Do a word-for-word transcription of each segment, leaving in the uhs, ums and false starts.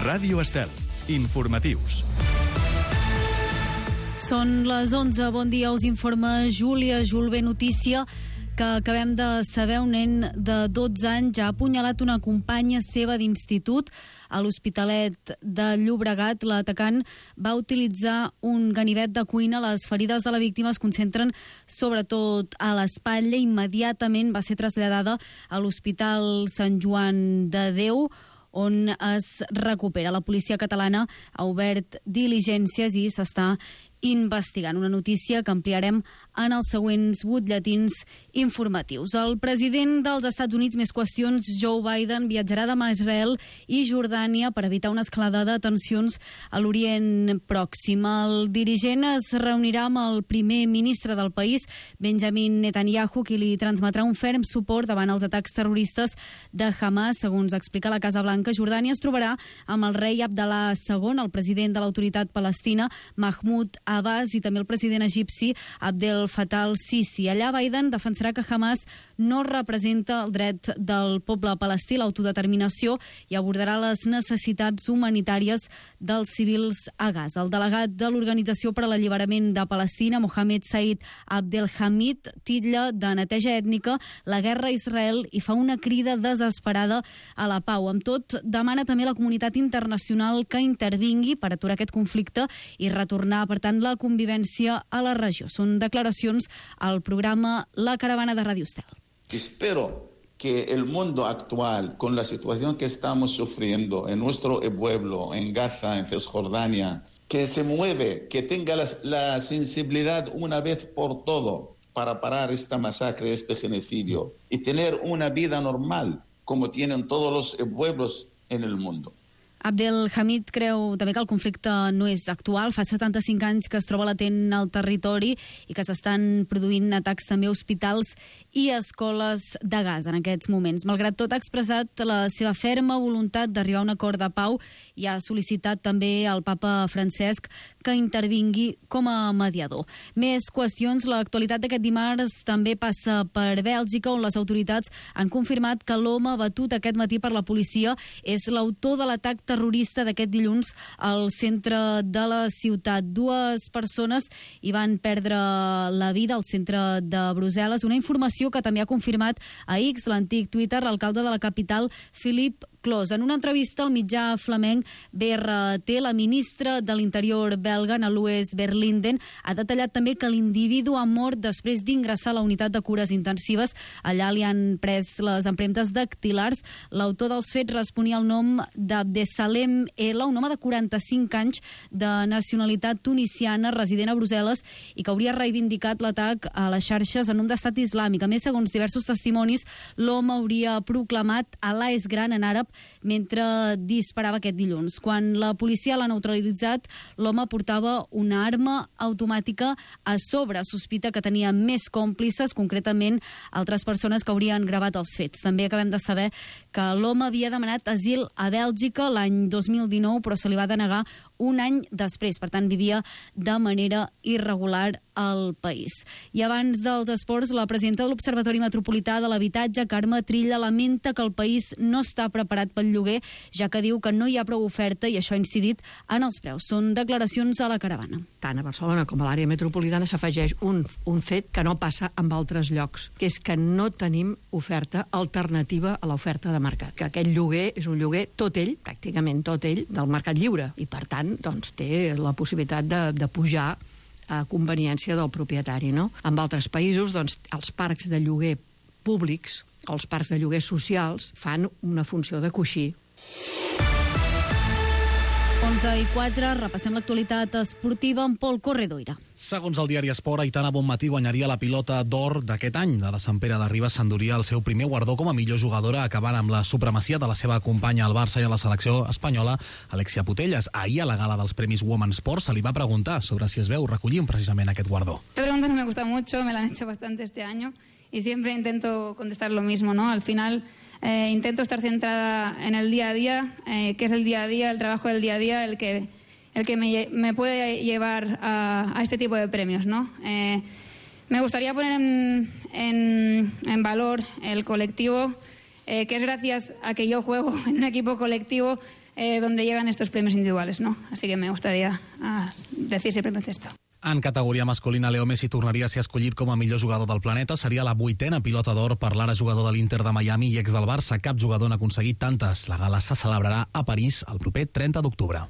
Ràdio Estel. Informatius. Són les onze. Bon dia, us informa Júlia Julve. Notícia que acabem de saber: un nen de dotze anys ha apunyalat una companya seva d'institut a l'Hospitalet de Llobregat. L'atacant va utilitzar un ganivet de cuina. Les ferides de la víctima es concentren sobretot a l'espatlla. Immediatament va ser traslladada a l'Hospital Sant Joan de Déu, on es recupera. La policia catalana ha obert diligències i s'està investigant. Una notícia que ampliarem en els següents butlletins informatius. El president dels Estats Units, més qüestions, Joe Biden, viatjarà demà a Israel i Jordània per evitar una escalada de tensions a l'Orient Pròxim. El dirigent es reunirà amb el primer ministre del país, Benjamin Netanyahu, qui li transmetrà un ferm suport davant els atacs terroristes de Hamas. Segons explica la Casa Blanca, Jordània es trobarà amb el rei Abdallah segon, el president de l'autoritat palestina, Mahmoud Abbas, i també el president egipci Abdel Fattah al-Sisi. Allà Biden defensarà que Hamas no representa el dret del poble palestí a l'autodeterminació i abordarà les necessitats humanitàries dels civils a Gaza. El delegat de l'Organització per a l'Alliberament de Palestina, Mohamed Said Abdelhamid, titlla de neteja ètnica la guerra a Israel i fa una crida desesperada a la pau. Amb tot, demana també a la comunitat internacional que intervingui per aturar aquest conflicte i retornar, per tant, la convivència a la regió. Són declaracions al programa La Caravana de Ràdio Estel. Espero que el mundo actual, con la situación que estamos sufriendo en nuestro pueblo, en Gaza, en Cisjordania, que se mueve, que tenga la, la sensibilidad una vez por todo para parar esta masacre, este genocidio y tener una vida normal como tienen todos los pueblos en el mundo. Abdelhamid creu també que el conflicte no és actual. Fa setanta-cinc anys que es troba latent al territori i que s'estan produint atacs també a hospitals i a escoles de Gaza en aquests moments. Malgrat tot, ha expressat la seva ferma voluntat d'arribar a un acord de pau i ha sol·licitat també al papa Francesc que intervingui com a mediador. Més qüestions. L'actualitat d'aquest dimarts també passa per Bèlgica, on les autoritats han confirmat que l'home batut aquest matí per la policia és l'autor de l'atac terrorista d'aquest dilluns al centre de la ciutat. Dues persones hi van perdre la vida al centre de Brussel·les. Una informació que també ha confirmat a X, l'antic Twitter, l'alcalde de la capital, Philippe Clos. En una entrevista al mitjà flamenc B R T, la ministra de l'Interior belga, Anne-Louise Verlinden, ha detallat també que l'individu ha mort després d'ingressar a la unitat de cures intensives. Allà li han pres les empremtes dactilars. L'autor dels fets responia al nom d'Abdesalem L, un home de quaranta-cinc anys de nacionalitat tunisiana, resident a Brussel·les, i que hauria reivindicat l'atac a les xarxes en nom d'estat islàmic. A més, segons diversos testimonis, l'home hauria proclamat Alà és gran en àrab mentre disparava aquest dilluns. Quan la policia l'ha neutralitzat, l'home portava una arma automàtica a sobre. Sospita que tenia més còmplices, concretament altres persones que haurien gravat els fets. També acabem de saber que l'home havia demanat asil a Bèlgica l'any dos mil dinou, però se li va denegar un any després. Per tant, vivia de manera irregular al país. I abans dels esports, la presidenta de l'Observatori Metropolità de l'Habitatge, Carme Trilla, lamenta que el país no està preparat pel lloguer, ja que diu que no hi ha prou oferta i això ha incidit en els preus. Són declaracions a la Caravana. Tant a Barcelona com a l'àrea metropolitana s'afegeix un, un fet que no passa en altres llocs, que és que no tenim oferta alternativa a l'oferta de mercat. Que aquest lloguer és un lloguer tot ell, pràcticament tot ell, del mercat lliure, i per tant doncs, té la possibilitat de, de pujar a conveniència del propietari, no? En altres països, doncs, els parcs de lloguer públics, els parcs de lloguer socials, fan una funció de coixí. onze i quatre, repassem l'actualitat esportiva amb Pol Corredoira. Segons el diari Esport, Aitana Bonmatí guanyaria la pilota d'or d'aquest any. La de Sant Pere de Ribes s'enduria el seu primer guardó com a millor jugadora, acabant amb la supremacia de la seva companya al Barça i a la selecció espanyola, Alexia Putellas. Ahir, a la gala dels Premis Women Sports, se li va preguntar sobre si es veu recollint precisament aquest guardó. Esta pregunta no me gusta mucho, me la han hecho bastante este año y siempre intento contestar lo mismo, ¿no? Al final eh, intento estar centrada en el día a día, eh, que es el día a día, el trabajo del día a día, el que el que me, me puede llevar a, a este tipo de premios, ¿no? Eh, me gustaría poner en, en, en valor el colectivo, eh, que es gracias a que yo juego en un equipo colectivo eh, donde llegan estos premios individuales, ¿no? Así que me gustaría ah, decir simplemente esto. En categoria masculina, Leo Messi tornaria a ser escollit com a millor jugador del planeta. Seria la vuitena pilota d'or per l'ara jugador de l'Inter de Miami i ex del Barça. Cap jugador n'ha aconseguit tantes. La gala se celebrarà a París el proper trenta d'octubre.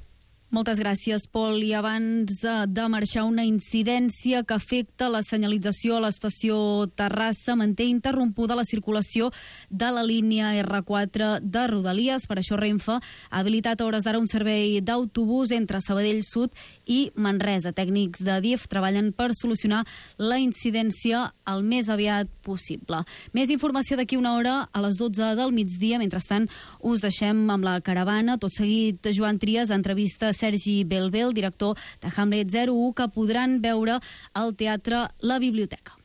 Moltes gràcies, Pol. I abans de, de marxar, una incidència que afecta la senyalització a l'estació Terrassa manté interrompuda la circulació de la línia erre quatre de Rodalies. Per això Renfe ha habilitat a hores d'ara un servei d'autobús entre Sabadell Sud i Manresa. Tècnics de D I F treballen per solucionar la incidència el més aviat possible. Més informació d'aquí una hora a les dotze del migdia. Mentrestant, us deixem amb la caravana. Tot seguit, Joan Trias entrevista Sergi Belbel, director de Hamlet zero u, que podran veure al teatre La Biblioteca.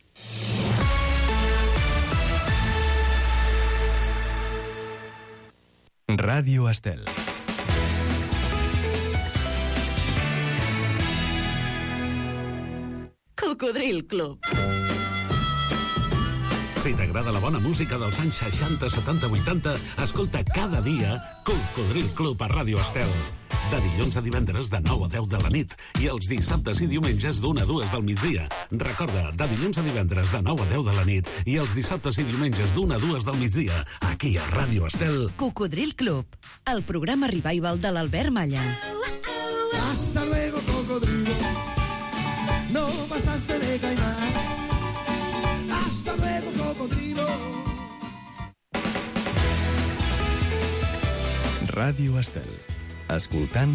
Ràdio Estel. Cocodril Club. Si t'agrada la bona música dels anys seixanta, setanta, vuitanta, escolta cada dia Cocodril Club a Ràdio Estel. De dilluns a divendres de nou a deu de la nit i els dissabtes i diumenges d'una a dues del migdia. Recorda, de dilluns a divendres de nou a deu de la nit i els dissabtes i diumenges d'una a dues del migdia, aquí a Ràdio Estel. Cocodril Club, el programa revival de l'Albert Malla. Hasta luego, cocodrilo. No pasaste de caimán. Hasta luego, cocodrilo. Ràdio Estel. Escoltant,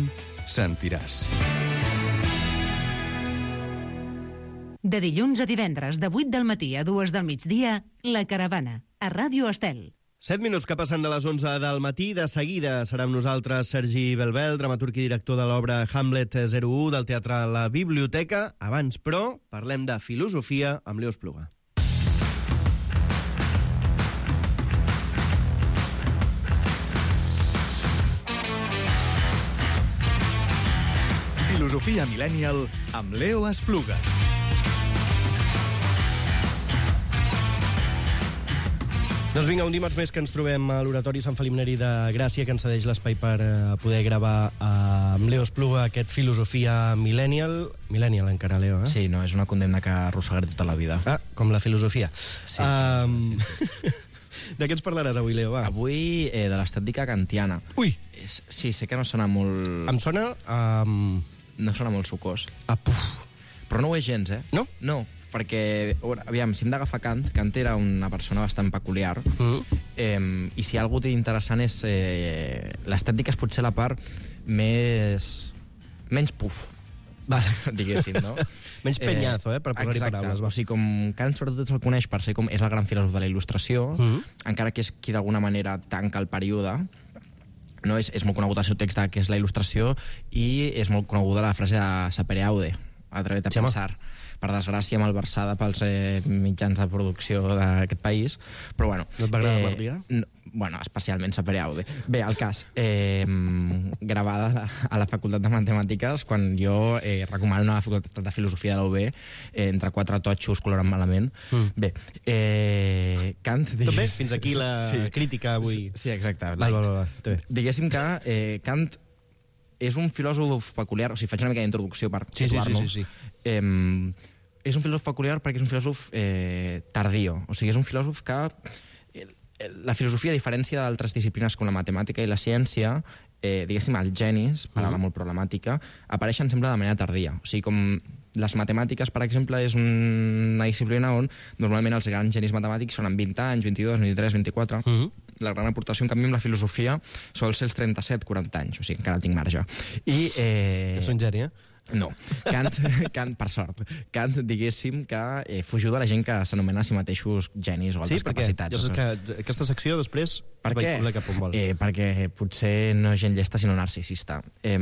sentiràs. De dilluns a divendres, de vuit del matí a dues del migdia, La Caravana, a Ràdio Estel. Set minuts que passen de les onze del matí. De seguida serà amb nosaltres Sergi Belbel, dramaturg i director de l'obra Hamlet zero u del Teatre La Biblioteca. Abans, però, parlem de filosofia amb Leo Espluga. Filosofia Millennial amb Leo Espluga. Doncs vinga, un dimarts més que ens trobem a l'Oratori Sant Felip Neri de Gràcia, que ens cedeix l'espai per poder gravar amb Leo Espluga aquest Filosofia Millennial. Millennial encara, Leo, eh? Sí, no, és una condemna que arrossegaré tota la vida. Ah, com la filosofia. Sí. Um... sí. De què ens parlaràs avui, Leo? Va. Avui eh, de l'estètica kantiana. Ui! És, sí, sé que no sona molt... Em sona... Um... No sona molt sucós. Ah, puf. Però no ho és gens, eh? No? No, perquè, aviam, si hem d'agafar Kant, Kant era una persona bastant peculiar, mm. eh, i si hi ha algú interessant és... Eh, l'estètica és potser la part més... menys puf. Vale. Diguéssim, no? Menys penyazo, eh, per posar-hi paraules. Va. O sigui, com Kant sobretot se'l coneix per ser com és el gran filòsof de la il·lustració, mm. encara que és qui d'alguna manera tanca el període, no? És, és molt conegut el seu text de què és la il·lustració i és molt coneguda la frase de sapere aude, atrevet a sí, pensar. Home. Per desgràcia, malversada pels eh, mitjans de producció d'aquest país, però bueno... No et va agradar eh, per dia? No, bueno, especialment sapere aude. Bé, el cas, eh, gravada a la Facultat de Matemàtiques, quan jo eh, recomano a la Facultat de Filosofia de la U B, eh, entre quatre totxos coloren malament. Mm. Bé, eh, Kant... Tot bé? Fins aquí la sí. crítica avui. Sí, sí exacte. Va, va, va, va. Diguéssim que eh, Kant és un filòsof peculiar, o sigui, faig una mica d'introducció per sí, situar-nos. Sí, sí, sí, sí. Eh, és un filòsof peculiar perquè és un filòsof eh, tardío. O sigui, és un filòsof que... Eh, la filosofia, a diferència d'altres disciplines com la matemàtica i la ciència, eh, diguéssim, els genis, paraula mm. molt problemàtica, apareixen sempre de manera tardia. O sigui, com les matemàtiques, per exemple, és una disciplina on normalment els grans genis matemàtics són amb vint anys, vint-i-dos, vint-i-tres, vint-i-quatre... Mm. La gran aportació, en canvi, amb la filosofia sol ser els trenta-set quaranta anys, o sigui, encara tinc marge. I... Eh... És un geni, eh? No. Kant, Kant, per sort, Kant, diguéssim, que eh, fugiu de la gent que s'anomena a si mateixos genis o altres sí, perquè capacitats. Jo sé que aquesta secció després per què? Cap on vol. Eh, perquè potser no és gent llesta, sinó narcisista. Eh,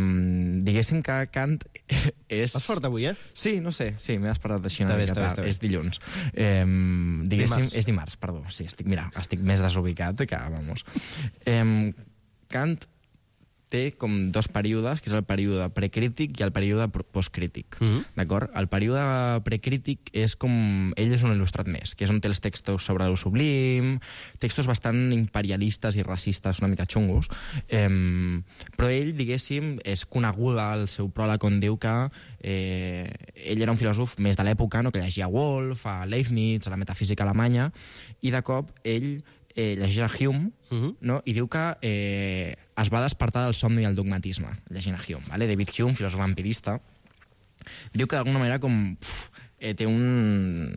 diguéssim que Kant és... Vas fort avui, eh? Sí, no sé, sí, m'he despertat així una bé, mica bé, tard. És dilluns. Eh, diguéssim, dimarts. És dimarts, perdó. Sí, estic, mira, estic més desubicat que, vamos. Eh, Kant té com dos períodes, que és el període precrític i el període postcrític. Mm -hmm. D'acord? El període precrític és com... Ell és un il·lustrat més, que és on té els textos sobre el sublim, textos bastant imperialistes i racistes, una mica xungos, eh, però ell, diguéssim, és coneguda al seu pròleg on diu que eh, ell era un filòsof més de l'època, no? Que llegia Wolf, a Leibniz, a la metafísica alemanya, i de cop ell eh, llegeix a Hume, uh -huh. no? I diu que eh, es va despertar del somni i el dogmatisme, llegint a Hume. Vale? David Hume, filòsof empirista, diu que d'alguna manera com, pf, eh, té un...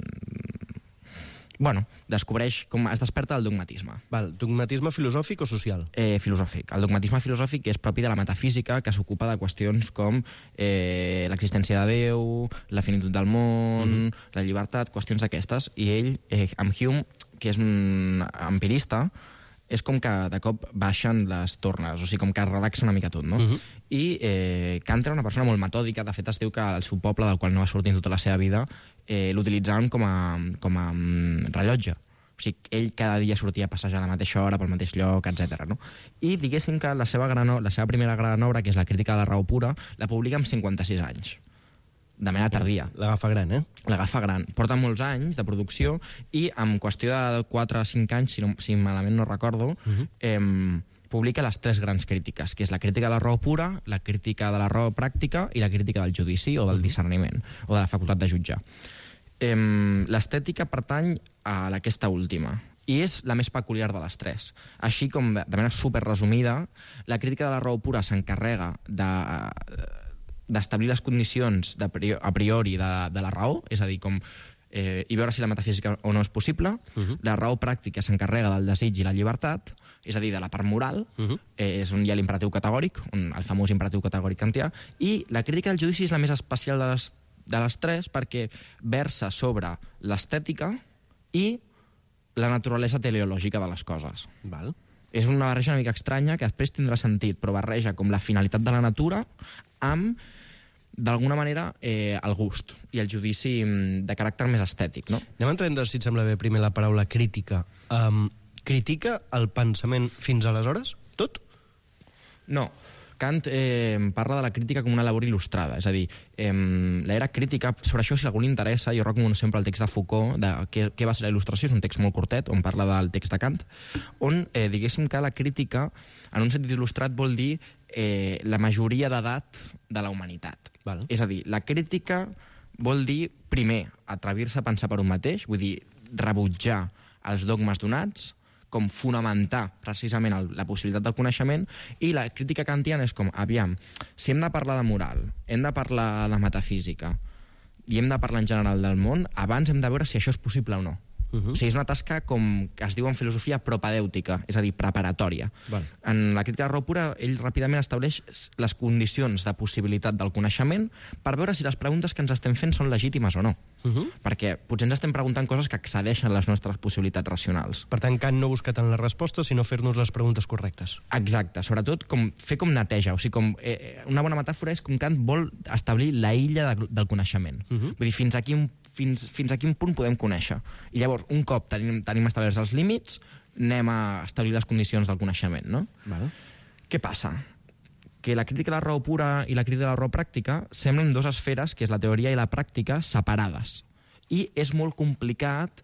Bueno, descobreix com es desperta del dogmatisme. Val, dogmatisme filosòfic o social? Eh, filosòfic. El dogmatisme filosòfic és propi de la metafísica, que s'ocupa de qüestions com eh, l'existència de Déu, la finitud del món, mm -hmm. la llibertat, qüestions d'aquestes. I ell, eh, amb Hume, que és un empirista, és com que de cop baixen les tornes, o sigui, com que es relaxa una mica tot, no? Uh -huh. I eh, Kant era una persona molt metòdica, de fet es diu que el seu poble, del qual no va sortir tota la seva vida, eh, l'utilitzaven com a, com a um, rellotge. O sigui, ell cada dia sortia a passejar a la mateixa hora, pel mateix lloc, etcètera. No? I diguéssim que la seva, gran, la seva primera gran obra, que és la Crítica de la raó pura, la publica amb cinquanta-sis anys. De manera tardia. L'agafa gran, eh? L'agafa gran. Porta molts anys de producció i en qüestió de quatre o cinc anys, si, no, si malament no recordo, uh -huh. eh, publica les tres grans crítiques, que és la crítica de la raó pura, la crítica de la raó pràctica i la crítica del judici o del discerniment, o de la facultat de jutjar. Eh, L'estètica pertany a aquesta última, i és la més peculiar de les tres. Així com, de manera superresumida, la crítica de la raó pura s'encarrega de... d'establir les condicions de a priori de la, de la raó, és a dir, com eh, i veure si la metafísica o no és possible. Uh -huh. La raó pràctica s'encarrega del desig i la llibertat, és a dir, de la part moral, uh -huh. eh, és on hi ha l'imperatiu categòric, un, el famós imperatiu categòric kantià, i la crítica del judici és la més especial de les, de les tres perquè versa sobre l'estètica i la naturalesa teleològica de les coses. Val. És una barreja una mica estranya que després tindrà sentit, però barreja com la finalitat de la natura amb d'alguna manera, eh, el gust i el judici de caràcter més estètic, no? Anem entrant, si et sembla bé, primer la paraula crítica. Um, critica el pensament fins aleshores? Tot? No. Kant eh, parla de la crítica com una labor il·lustrada, és a dir, eh, l'era crítica, sobre això, si a algú li interessa, jo recomano sempre el text de Foucault, de què, què va ser la il·lustració, és un text molt curtet, on parla del text de Kant, on, eh, diguéssim que la crítica, en un sentit il·lustrat, vol dir eh, la majoria d'edat de la humanitat. Val. És a dir, la crítica vol dir, primer, atrevir-se a pensar per un mateix, vull dir, rebutjar els dogmes donats, com fonamentar precisament el, la possibilitat del coneixement, i la crítica kantiana és com, aviam, si hem de parlar de moral, hem de parlar de metafísica i hem de parlar en general del món, abans hem de veure si això és possible o no. Uh -huh. O sigui, és una tasca com que es diu en filosofia propedèutica, és a dir, preparatòria. Val. En la crítica de raó pura, ell ràpidament estableix les condicions de possibilitat del coneixement per veure si les preguntes que ens estem fent són legítimes o no. Uh -huh. Perquè potser ens estem preguntant coses que excedeixen les nostres possibilitats racionals. Per tant, Kant no busca tant les respostes, sinó fer-nos les preguntes correctes. Exacte, sobretot com fer com neteja. O sigui, com, eh, una bona metàfora és com Kant vol establir la illa de, del coneixement. Uh -huh. Vull dir, fins aquí un Fins, fins a quin punt podem conèixer. I llavors, un cop tenim, tenim establerts els límits, anem a establir les condicions del coneixement, no? Vale. Què passa? Que la crítica de la raó pura i la crítica de la raó pràctica semblen dues esferes, que és la teoria i la pràctica, separades. I és molt complicat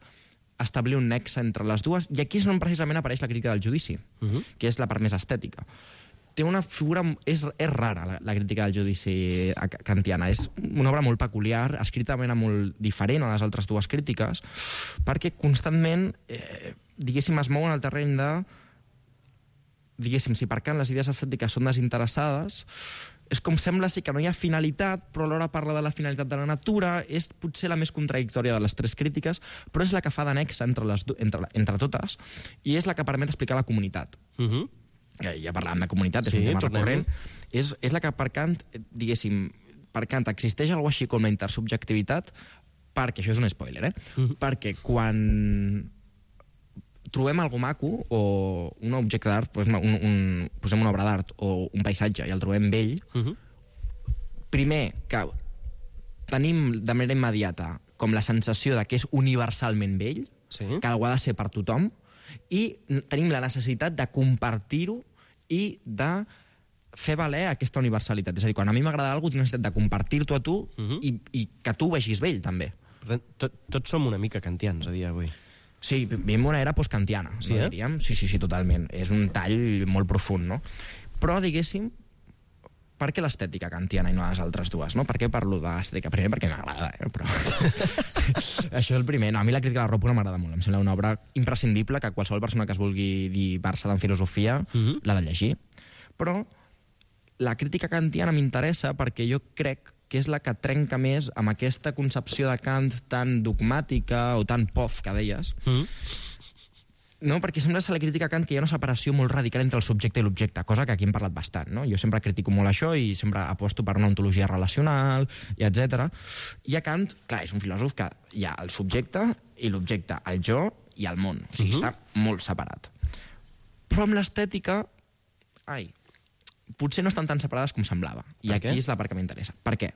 establir un nexe entre les dues, i aquí és on precisament apareix la crítica del judici, uh -huh. que és la part més estètica. Té una figura... És, és rara, la, la crítica del judici kantiana. És una obra molt peculiar, escrita de manera molt diferent a les altres dues crítiques, perquè constantment, eh, diguéssim, es mou en el terreny de... Diguéssim, si per Kant les idees estètiques són desinteressades, és com sembla ser que no hi ha finalitat, però alhora parla de la finalitat de la natura, és potser la més contradictòria de les tres crítiques, però és la que fa d'anexa entre, les, entre, entre totes, i és la que permet explicar la comunitat. Uh -huh. Ja parlàvem de comunitat, és sí, un tema recurrent, és, és la que per Kant, diguéssim, per Kant existeix alguna així com la intersubjectivitat, perquè, això és un spoiler, eh? Uh-huh. Perquè quan trobem algo maco, o un objecte d'art, un, un, posem una obra d'art, o un paisatge, i el trobem vell, uh-huh. primer, que tenim de manera immediata com la sensació de que és universalment vell, sí. que ho ha de ser per tothom, i tenim la necessitat de compartir-ho i de fer valer aquesta universalitat. És a dir, quan a mi m'agrada alguna cosa, tinc necessitat de compartir-t'ho a tu uh-huh. i, i que tu ho vegis vell, també. Per tant, tot, tots som una mica kantians a dia d'avui. Sí, vivim una era postkantiana, sí, no, eh? diríem. Sí, sí, sí, totalment. És un tall molt profund, no? Però, diguéssim, per què l'estètica kantiana i no les altres dues, no? Per què parlo de l'estètica? Primer perquè m'agrada, eh? Però... Això és el primer. No, a mi la crítica de la Ròpora m'agrada molt. Em sembla una obra imprescindible que qualsevol persona que es vulgui dir versada en filosofia uh-huh. l'ha de llegir. Però la crítica kantiana m'interessa perquè jo crec que és la que trenca més amb aquesta concepció de Kant tan dogmàtica o tan pof que deies. Mm. No, perquè sembla ser la crítica a Kant que hi ha una separació molt radical entre el subjecte i l'objecte, cosa que aquí hem parlat bastant, no? Jo sempre critico molt això i sempre aposto per una ontologia relacional, i etcètera. I a Kant, clar, és un filòsof que hi ha el subjecte i l'objecte, el jo i el món. O sigui, uh-huh. està molt separat. Però amb l'estètica... Ai... potser no estan tan separades com semblava. I aquí és la part que m'interessa. Per què?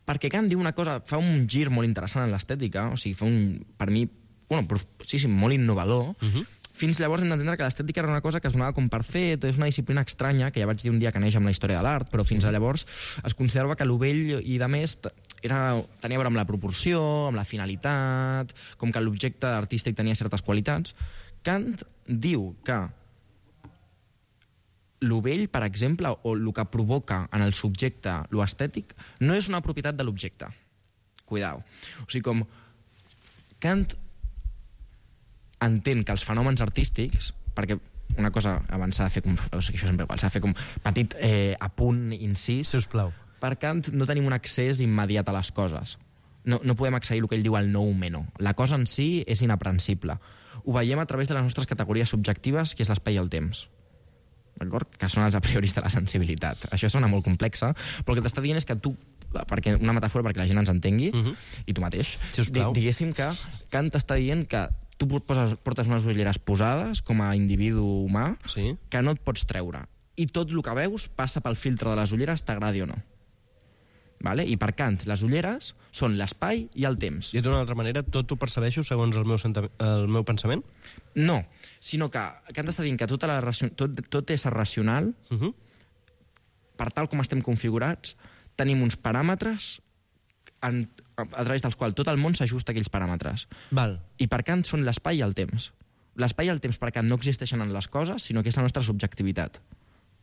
Perquè Kant diu una cosa, fa un gir molt interessant en l'estètica, o sigui, fa un, per mi, bueno, sí, sí, molt innovador. Uh-huh. Fins llavors hem d'entendre que l'estètica era una cosa que es donava com per fet, és una disciplina estranya, que ja vaig dir un dia que neix amb la història de l'art, però fins a llavors es considerava que l'ovell i de més era, tenia a veure amb la proporció, amb la finalitat, com que l'objecte artístic tenia certes qualitats. Kant diu que l'ovell, per exemple, o el que provoca en el subjecte lo estètic, no és una propietat de l'objecte. Cuidao. O sigui, com Kant entén que els fenòmens artístics, perquè una cosa abans s'ha de fer com... O sigui, això sempre igual, s'ha de fer com petit eh, apunt, incís. Sisplau. Per Kant no tenim un accés immediat a les coses. No, no podem accedir al que ell diu el noumeno. La cosa en si és inaprensible. Ho veiem a través de les nostres categories subjectives, que és l'espai i el temps. D'acord? Que són els a prioris de la sensibilitat. Això sona molt complexa, però el que t'està dient és que tu, perquè una metàfora perquè la gent ens entengui, uh-huh. i tu mateix, di diguéssim que Kant t'està dient que tu poses, portes unes ulleres posades com a individu humà, sí. que no et pots treure. I tot el que veus passa pel filtre de les ulleres, t'agradi o no. Vale? I per Kant, les ulleres són l'espai i el temps. I d'una altra manera, tot ho percebeixo segons el meu, el meu pensament? No, sinó que Kant està dient que tota la tot, tot és racional, uh-huh. per tal com estem configurats, tenim uns paràmetres en, a, a través dels quals tot el món s'ajusta a aquells paràmetres. Val. I per Kant són l'espai i el temps. L'espai i el temps per Kant no existeixen en les coses, sinó que és la nostra subjectivitat.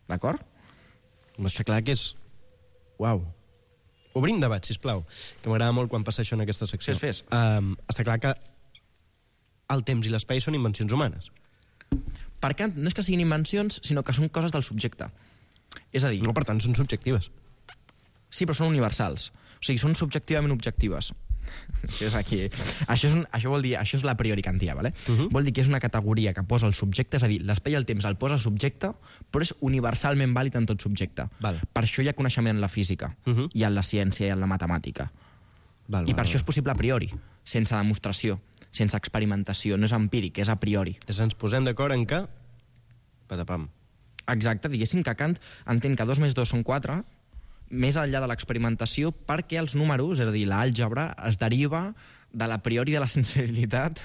D'acord? Està clar que és... Uau. Obrim debat, sisplau, que m'agrada molt quan passa això en aquesta secció. Fes, fes. Um, està clar que el temps i l'espai són invencions humanes. Per Kant, no és que siguin invencions, sinó que són coses del subjecte. És a dir... No, per tant, són subjectives. Sí, però són universals. O sigui, són subjectivament objectives. Això és aquí. Això, és un, això vol dir, això és la priori kantià, ¿vale? Uh-huh. Vol dir que és una categoria que posa el subjecte, és a dir, l'espai i el temps el posa el subjecte, però és universalment vàlid en tot subjecte. Val. Per això hi ha coneixement en la física, uh-huh. i en la ciència i en la matemàtica. Val, I val, per val. Això és possible a priori, sense demostració, sense experimentació, no és empíric, és a priori. És ens posem d'acord en que... Patapam. Exacte, diguéssim que Kant entén que dos més dos són quatre, més enllà de l'experimentació, perquè els números, és a dir, l'àlgebra, es deriva de l'a priori de la sensibilitat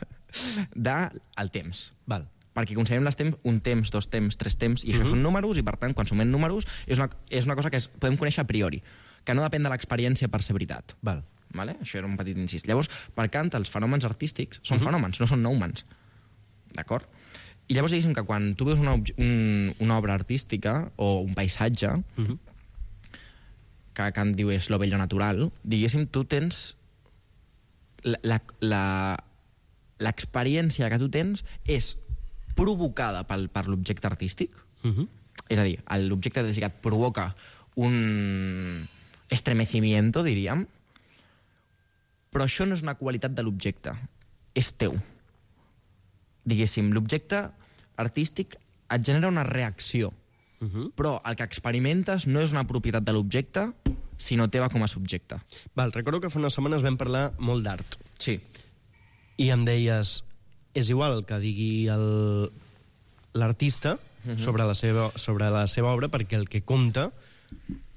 del temps. Val. Perquè considerem les temps, un temps, dos temps, tres temps, i això uh-huh. són números, i per tant, quan sumem números, és una, és una cosa que es, podem conèixer a priori, que no depèn de l'experiència per ser veritat. Val. Vale? Això era un petit incís. Llavors, per Kant, els fenòmens artístics són uh-huh. fenòmens, no són noumens. D'acord? I llavors, diguéssim que quan tu veus una, un, una obra artística o un paisatge, uh-huh. que Kant diu és lo bello natural, diguéssim, tu tens l'experiència que tu tens és provocada pel, per l'objecte artístic. Uh-huh. És a dir, l'objecte artístic et provoca un estremecimiento, diríem, però això no és una qualitat de l'objecte, és teu. Diguéssim, l'objecte artístic et genera una reacció, uh-huh. però el que experimentes no és una propietat de l'objecte, sinó teva com a subjecte. Val, recordo que fa unes setmanes vam parlar molt d'art. Sí. I em deies, és igual el que digui l'artista uh-huh. sobre, la seva, sobre la seva obra, perquè el que compta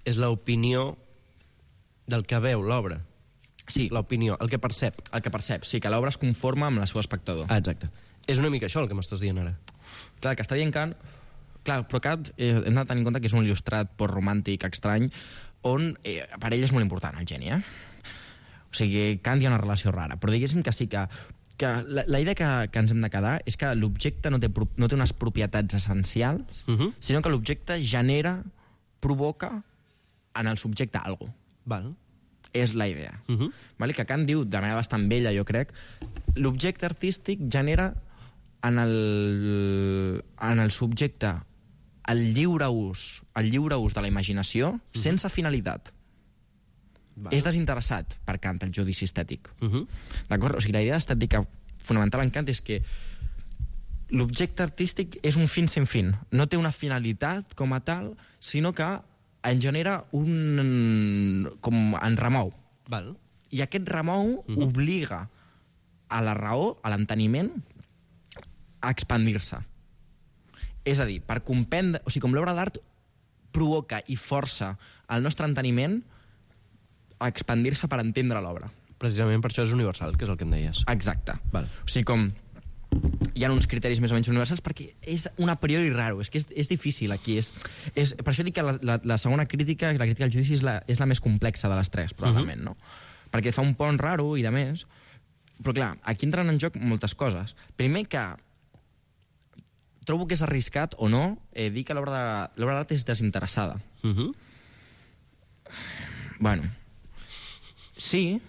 és l'opinió del que veu l'obra. Sí. L'opinió, el que percep. El que percep, sí, que l'obra es conforma amb el seu espectador. Ah, exacte. És una mica això el que m'estàs dient ara. Clar, el que està dient Kant... clar, però Kant, eh, hem de tenir en compte que és un il·lustrat postromàntic estrany, on eh, per ell és molt important el geni, eh? O sigui, Kant hi ha una relació rara, però diguéssim que sí que, que la, la idea que, que ens hem de quedar és que l'objecte no té, no té unes propietats essencials, uh-huh. sinó que l'objecte genera, provoca en el subjecte alguna cosa. Val. És la idea. Uh-huh. Vale? Que Kant diu, de manera bastant vella, jo crec, l'objecte artístic genera en el, en el subjecte el lliure ús, el lliure ús de la imaginació uh-huh. sense finalitat. Vale. És desinteressat per Kant, el judici estètic. Uh-huh. D'acord? O sigui, la idea estètica fonamental en Kant és que l'objecte artístic és un fin sense fin. No té una finalitat com a tal, sinó que en genera un... com en remou. Val. I aquest remou uh-huh. obliga a la raó, a l'enteniment, a expandir-se. És a dir, per comprendre... O sigui, com l'obra d'art provoca i força el nostre enteniment a expandir-se per entendre l'obra. Precisament per això és universal, que és el que em deies. Exacte. Val. O sigui, com... hi ha uns criteris més o menys universals perquè és un a priori raro, és que és, és difícil aquí. És, és, per això dic que la, la, la segona crítica, la crítica al judici, és la, és la més complexa de les tres, probablement, uh-huh. no? Perquè fa un pont raro i de més. Però clar, aquí entren en joc moltes coses. Primer que trobo que és arriscat o no eh, dir que l'obra d'art és desinteressada. Uh-huh. Bueno, sí,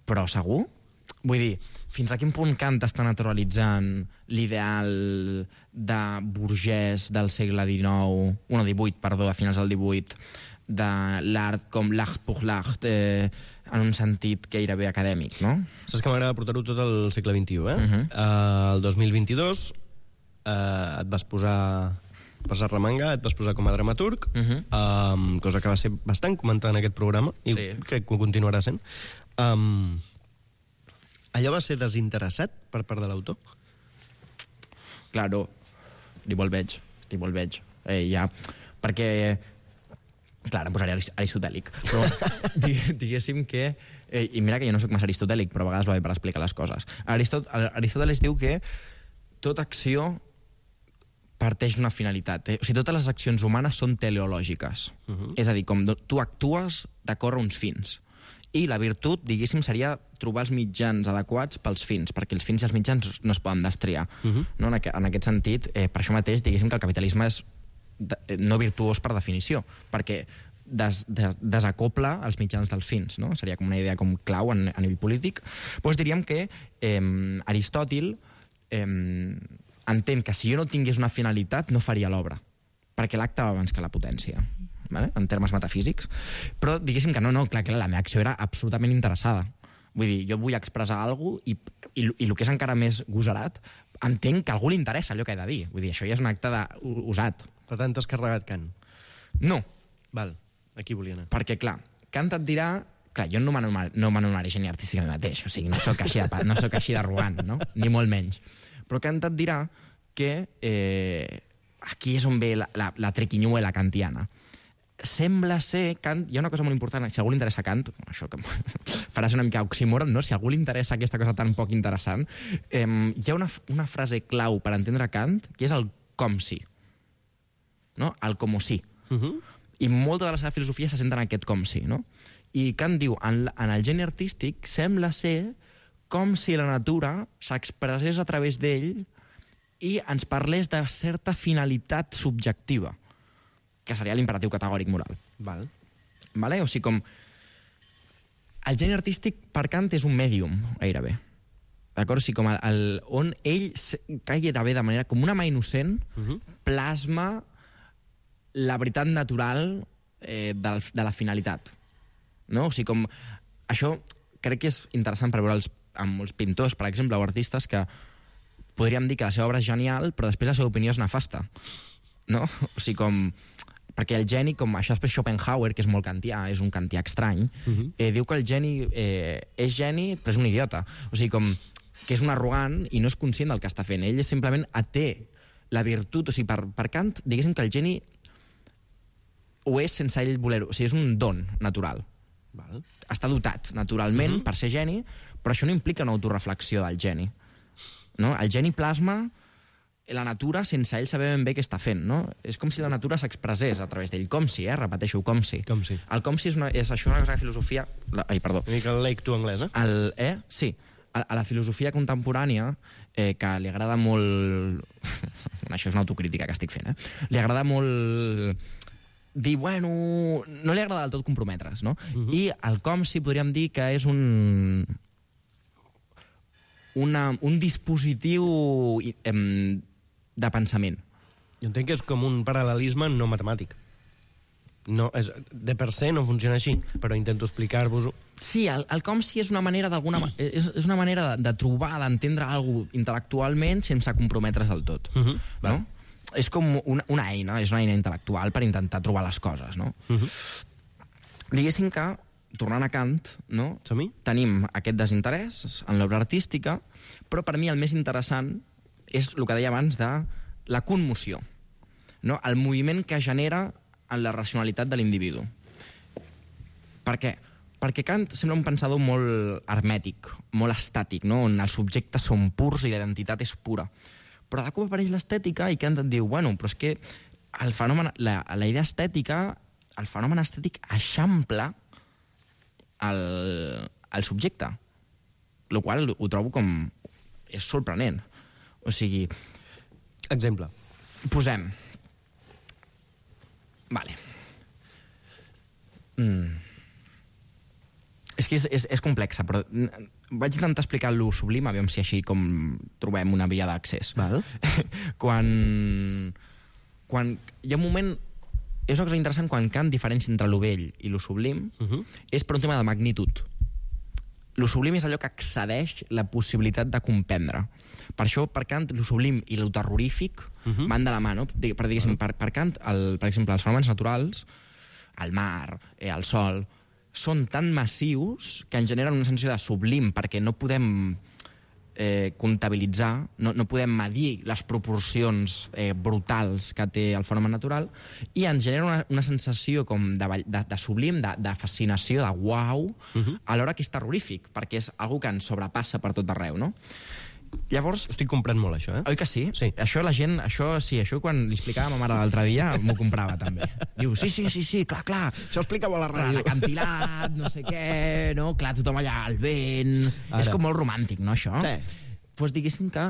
però segur? Vull dir, fins a quin punt Kant està naturalitzant l'ideal de burgès del segle dinou, no, divuit, perdó, a finals del divuit, de l'art com l'art pour l'art, eh, en un sentit gairebé acadèmic, no? Saps que m'agrada portar-ho tot al segle vint-i-u, eh? Uh-huh. Uh, el dos mil vint-i-dos uh, et vas posar per Sarramanga, et vas posar com a dramaturg, uh-huh. um, cosa que va ser bastant comentada en aquest programa, i sí. crec que ho continuarà sent. Um, Allò va ser desinteressat per part de l'autor? Claro, ni molt veig, ni molt veig. Eh, ja, perquè, clar, em posaré aristotèlic, però diguéssim que, eh, i mira que jo no sóc massa aristotèlic, però a vegades va bé per explicar les coses. Aristot Aristòteles diu que tota acció parteix d'una finalitat. Eh? O sigui, totes les accions humanes són teleològiques. Uh-huh. És a dir, com tu actues d'acord a uns fins. I la virtut, diguéssim, seria trobar els mitjans adequats pels fins, perquè els fins i els mitjans no es poden destriar. Uh-huh. No? En, aqu en aquest sentit, eh, per això mateix, diguéssim que el capitalisme és de no virtuós per definició, perquè des des desacopla els mitjans dels fins. No? Seria com una idea com clau en, a nivell polític. Doncs diríem que eh, Aristòtil eh, entén que si jo no tingués una finalitat no faria l'obra, perquè l'acte va abans que la potència. Vale? En termes metafísics, però diguéssim que no, no, clar, clar, la meva acció era absolutament interessada. Vull dir, jo vull expressar alguna cosa i, i, i el que és encara més gosarat, entenc que a algú li interessa allò que he de dir. Vull dir, això ja és un acte de, usat. Per tant, t'has carregat Kant? No. Val, aquí volia anar. Perquè, clar, Kant et dirà... Clar, jo no m'anomenaré geni artístic a mi mateix, o sigui, no sóc així de, no sóc així d'arrogant, no? Ni molt menys. Però Kant et dirà que eh, aquí és on ve la, la, la triquinyuela kantiana. Sembla ser Kant, hi ha una cosa molt important, si a algú li interessa Kant, això que faràs una mica oxímoron, no? Si a algú li interessa aquesta cosa tan poc interessant, eh, hi ha una, una frase clau per entendre Kant, que és el com si, no? El com si. Uh-huh. I molta de la seva filosofia se centra en aquest com si, no? I Kant diu, en, en el geni artístic sembla ser com si la natura s'expressés a través d'ell i ens parlés de certa finalitat subjectiva, que seria l'imperatiu categòric moral. Val. Vale? O sigui, com... El geni artístic, per Kant, és un mèdium, gairebé. D'acord? O sigui, com el, el, on ell gairebé de manera com una mà innocent uh-huh. plasma la veritat natural eh, de, de la finalitat. No? O sigui, com... Això crec que és interessant per veure els, amb molts pintors, per exemple, o artistes que podríem dir que la seva obra és genial, però després la seva opinió és nefasta. No? O sigui, com... Perquè el geni, com això després Schopenhauer, que és molt kantià, és un kantià estrany, uh-huh. eh, diu que el geni eh, és geni, però és un idiota. O sigui, com que és un arrogant i no és conscient del que està fent. Ell és simplement té la virtut, o sigui, per, per Kant, diguéssim que el geni ho és sense ell voler-ho. O sigui, és un don natural. Val. Està dotat naturalment uh-huh. per ser geni, però això no implica una autoreflexió del geni. No? El geni plasma la natura sense ell saber ben bé què està fent, no? És com si la natura s'expressés a través d'ell, com si, eh? Repeteixo, com si. Com si. El com si és, una, és això una cosa de filosofia... La, ai, perdó. Una mica el lake to anglès, eh? El, eh? Sí. A, a la filosofia contemporània, eh, que li agrada molt... això és una autocrítica que estic fent, eh? Li agrada molt... dir, bueno, no li agrada del tot comprometre's, no? Uh-huh. I el com si podríem dir que és un... Una, un dispositiu eh, de pensament. Jo entenc que és com un paral·lelisme no matemàtic. No, és, de per se no funciona així, però intento explicar-vos-ho. Sí, el, el com si és una manera d'alguna és, és una manera de, de trobar, d'entendre alguna cosa intel·lectualment sense comprometre's del tot. Uh-huh. No? És com una, una eina, és una eina intel·lectual per intentar trobar les coses, no? Uh-huh. Diguéssim que, tornant a Kant, no? Tenim aquest desinterès en l'obra artística, però per mi el més interessant és el que deia abans de la conmoció, no? El moviment que genera en la racionalitat de l'individu. Per què? Perquè Kant sembla un pensador molt hermètic, molt estàtic, no? On els subjectes són purs i la identitat és pura. Però de cop apareix l'estètica i Kant et diu, bueno, però és que el fenomen, la, la idea estètica, el fenomen estètic eixampla el, el subjecte, el qual ho trobo com... és sorprenent. O sigui... Exemple. Posem... Vale. Mm. És que és, és, és complexa, però vaig intentar explicar-lo sublim, aviam si així com trobem una via d'accés. Val. quan, quan hi ha un moment... És una cosa interessant quan Kant diferència entre lo vell i lo sublim, uh-huh. és per un tema de magnitud. Lo sublim és allò que excedeix la possibilitat de comprendre. Per això, per Kant, lo sublim i lo terrorífic uh-huh. van de la mà, no? Per, diguéssim, per, per Kant, el, per exemple, els fenòmens naturals, el mar, eh, el sol, són tan massius que en generen una sensació de sublim, perquè no podem eh, comptabilitzar, no, no podem medir les proporcions eh, brutals que té el fenomen natural, i ens genera una, una sensació com de, de, de sublim, de, de fascinació, de uau, uh-huh. alhora que és terrorífic, perquè és algo que ens sobrepassa per tot arreu, no? Llavors... Estic comprant molt, això, eh? Oi que sí? Sí. Això la gent... Això sí, això quan li explicava a ma mare l'altre dia m'ho comprava, també. Diu, sí, sí, sí, sí, clar, clar. Això explica-ho a la ràdio. L'acantilat, no sé què, no? Clar, tothom allà, al vent... Ara. És com molt romàntic, no, això? Sí. Doncs pues diguéssim que...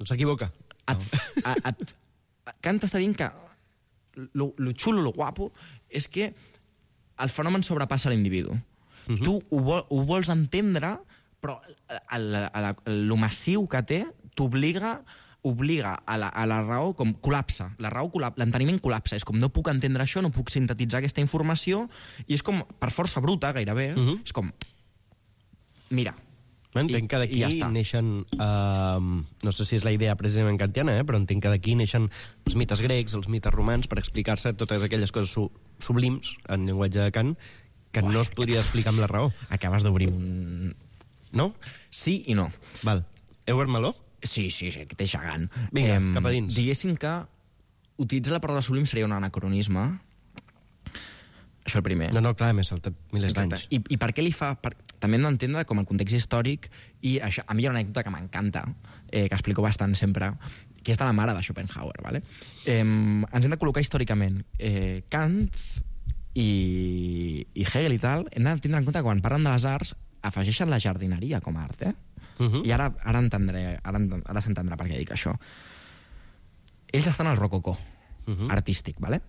No s'equivoca. Et, no. et, et, Kant està dient que lo, lo xulo, lo guapo, és que el fenomen sobrepassa l'individu. Uh-huh. Tu ho, vol, ho vols entendre, però el, el, el, el massiu que té t'obliga obliga a la, a la raó com col·lapsa. La raó col·lapsa, l'enteniment col·lapsa. És com no puc entendre això, no puc sintetitzar aquesta informació, i és com, per força bruta, gairebé, uh-huh. és com... Mira. Entenc que d'aquí ja neixen... Uh, no sé si és la idea precisament kantiana, eh, però entenc que d'aquí neixen els mites grecs, els mites romans, per explicar-se totes aquelles coses su sublims, en llenguatge de Kant, que Uai, no es podria explicar amb la raó. Acabes d'obrir un... No? Sí i no. Val. Heu meló? Sí, sí, sí, que té gegant. Vinga, eh, cap a dins. Diguéssim que utilitzar la paraula sublim seria un anacronisme. Això el primer. No, no, clar, m'he saltat milers d'anys. I, I per què li fa... Per... També hem d'entendre com el context històric, i això, a mi hi ha una anècdota que m'encanta, eh, que explico bastant sempre, que és de la mare de Schopenhauer, ¿vale? Eh, ens hem de col·locar històricament. Eh, Kant i, i Hegel i tal, hem de tindre en compte que quan parlen de les arts afegeixen la jardineria com a art, eh? Uh-huh. I ara, ara, entendré, ara, ara s'entendrà per què dic això. Ells estan al rococó uh-huh. artístic, ¿vale?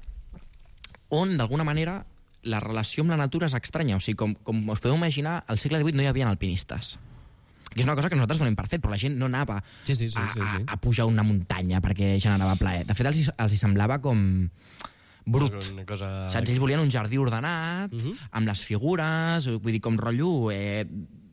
On, d'alguna manera, la relació amb la natura és estranya. O sigui, com, com us podeu imaginar, al segle divuit no hi havia alpinistes. Que és una cosa que nosaltres donem per fet, però la gent no anava sí, sí, sí, a, sí, sí. A, a pujar una muntanya perquè generava plaer. De fet, els, els hi semblava com brut. Una cosa... Saps? Ells volien un jardí ordenat, uh-huh. amb les figures, vull dir, com rotllo eh,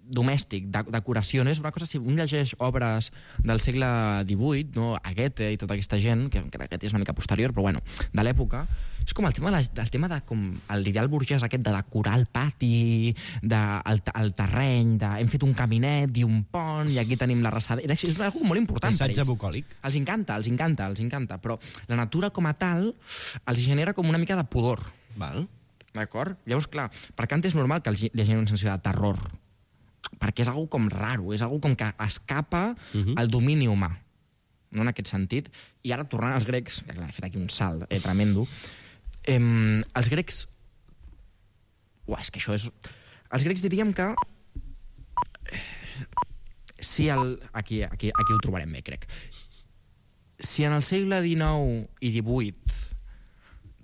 domèstic, de, decoració. És una cosa, si un llegeix obres del segle divuit, no? A Goethe i tota aquesta gent, que, que Goethe és una mica posterior, però bueno, de l'època, és com el tema de, la, el tema de com l'ideal burgès aquest de decorar el pati, de, el, el terreny, de hem fet un caminet i un pont, i aquí tenim la rassadera. És una cosa molt important per ells. Paisatge bucòlic. Els encanta, els encanta, els encanta, però la natura com a tal els genera com una mica de pudor. Val. D'acord? Llavors, clar, per Kant és normal que els li generi una sensació de terror, perquè és algo com raro, és algo com que escapa uh-huh. al domini humà. no en aquest sentit. I ara, tornant als grecs, que clar, he fet aquí un salt eh, tremendo, eh, els grecs... Uah, és que això és... Els grecs diríem que... Si el... Aquí, aquí, aquí ho trobarem bé, crec. Si en el segle dinou i divuit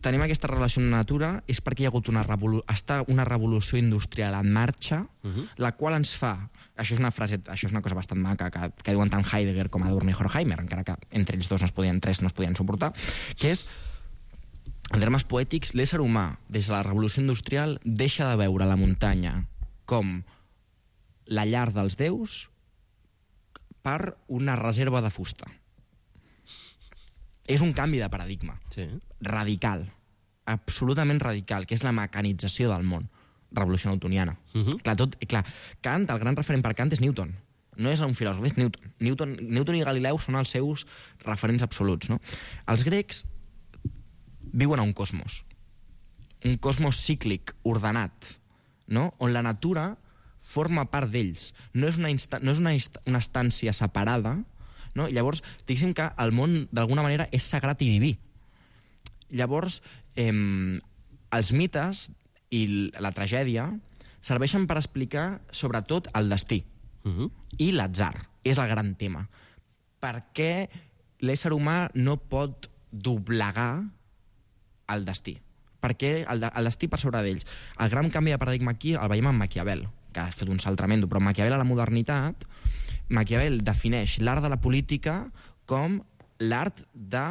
tenim aquesta relació amb la natura, és perquè hi ha hagut una, revolu està una revolució industrial en marxa, uh-huh. la qual ens fa... Això és una frase, això és una cosa bastant maca, que, que diuen tant Heidegger com Adorno i Horkheimer, encara que entre ells dos no es podien, tres no es podien suportar, que és, en termes poètics, l'ésser humà, des de la revolució industrial, deixa de veure la muntanya com la llar dels déus per una reserva de fusta. És un canvi de paradigma. Sí. Radical. Absolutament radical, que és la mecanització del món. Revolució newtoniana. Uh-huh. Clar, tot, clar, Kant, el gran referent per Kant és Newton. No és un filòsof, és Newton. Newton, Newton i Galileu són els seus referents absoluts. No? Els grecs viuen a un cosmos. Un cosmos cíclic, ordenat, no? On la natura forma part d'ells. No és una, no és una, una estància separada. No? Llavors, diguéssim que el món d'alguna manera és sagrat i diví. Llavors, eh, els mites i la tragèdia serveixen per explicar sobretot el destí. Uh-huh. I l'atzar és el gran tema. Per què l'ésser humà no pot doblegar el destí? Per què el, de, el destí per sobre d'ells? El gran canvi de paradigma aquí el veiem en Maquiavel, que ha fet un salt tremendo, però Maquiavel a la modernitat, Maquiavel defineix l'art de la política com l'art de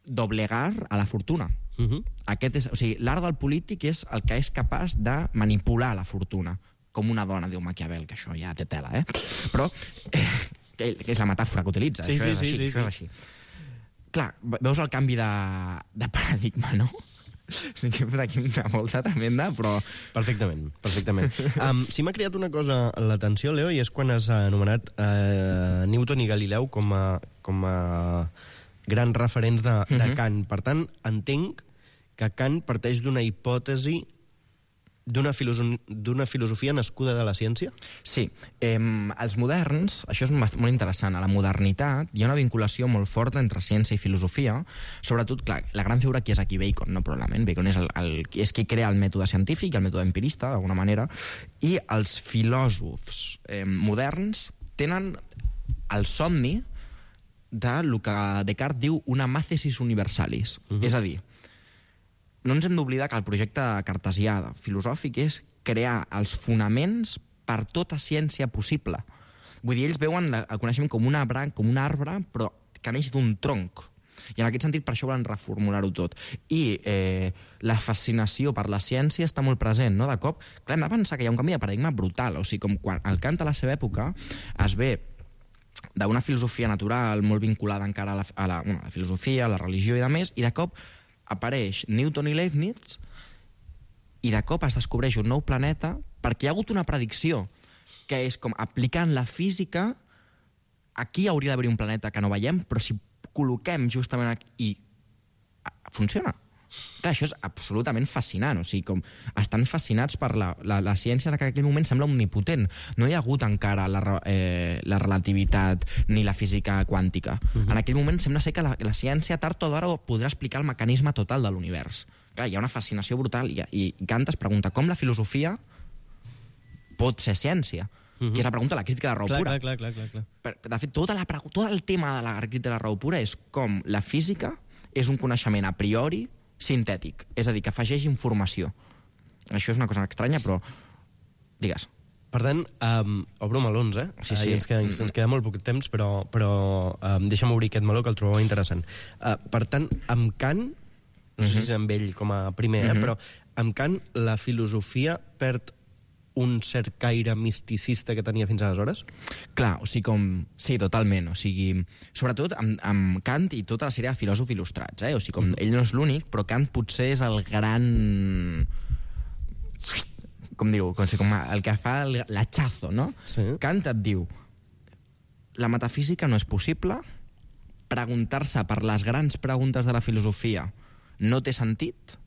doblegar a la fortuna. Uh-huh. Aquest és, o sigui, l'art del polític és el que és capaç de manipular la fortuna, com una dona, diu Maquiavel, que això ja té tela, eh? Però eh, que és la metàfora que utilitza, sí, això, sí, és així, sí, això sí. és així. Clar, veus el canvi de, de paradigma, no? Sí que he fet aquí una volta tremenda, però... Perfectament, perfectament. Um, sí m'ha creat una cosa a l'atenció, Leo, i és quan has anomenat uh, Newton i Galileu com a, com a grans referents de, de uh-huh. Kant. Per tant, entenc que Kant parteix d'una hipòtesi d'una filoso- d'una filosofia nascuda de la ciència? Sí. Eh, els moderns, això és molt interessant, a la modernitat hi ha una vinculació molt forta entre ciència i filosofia, sobretot, clar, la gran figura aquí és aquí Bacon, no, probablement. Bacon és, el, el, és qui crea el mètode científic, el mètode empirista, d'alguna manera, i els filòsofs eh, moderns tenen el somni de lo que Descartes diu una màthesis universalis. Uh-huh. És a dir, no ens hem d'oblidar que el projecte cartesià filosòfic és crear els fonaments per tota ciència possible. Vull dir, ells veuen el coneixement com una branca, com un arbre, però que neix d'un tronc. I en aquest sentit, per això volen reformular-ho tot. I eh, la fascinació per la ciència està molt present, no? De cop, clar, hem de pensar que hi ha un canvi de paradigma brutal. O sigui, com quan el Kant a la seva època es ve d'una filosofia natural molt vinculada encara a la, a la, bueno, a la filosofia, a la religió i de més, i de cop apareix Newton i Leibniz i de cop es descobreix un nou planeta perquè hi ha hagut una predicció que és com aplicant la física aquí hauria d'haver un planeta que no veiem, però si col·loquem justament aquí i funciona. Clar, això és absolutament fascinant, o sigui, com estan fascinats per la, la, la ciència que en aquell moment sembla omnipotent. No hi ha hagut encara la, eh, la relativitat ni la física quàntica. Uh-huh. En aquell moment sembla ser que la, la ciència tard o d'ara podrà explicar el mecanisme total de l'univers. Clar, hi ha una fascinació brutal i, i Kant es pregunta com la filosofia pot ser ciència. Uh-huh. Que és la pregunta de la crítica de la raó clar, pura. Clar, clar, clar, clar. Per, de fet, tota la, tot el tema de la crítica de la raó pura és com la física és un coneixement a priori sintètic, és a dir, que afegeix informació. Això és una cosa estranya, però... Digues. Per tant, um, obro melons, eh? Sí, sí. Uh, ens, queda, ens queda molt poc temps, però, però um, deixa'm obrir aquest meló, que el trobava interessant. Uh, per tant, amb Kant, no sé si és amb ell com a primer, eh? Però amb Kant la filosofia perd un cert caire misticista que tenia fins aleshores? Clar, o sigui, com... Sí, totalment. O sigui, sobretot amb, amb Kant i tota la sèrie de filòsofs il·lustrats, eh? O sigui, com ell no és l'únic, però Kant potser és el gran... Com diu? Com, com el que fa l'hachazo, no? Sí. Kant et diu la metafísica no és possible, preguntar-se per les grans preguntes de la filosofia no té sentit,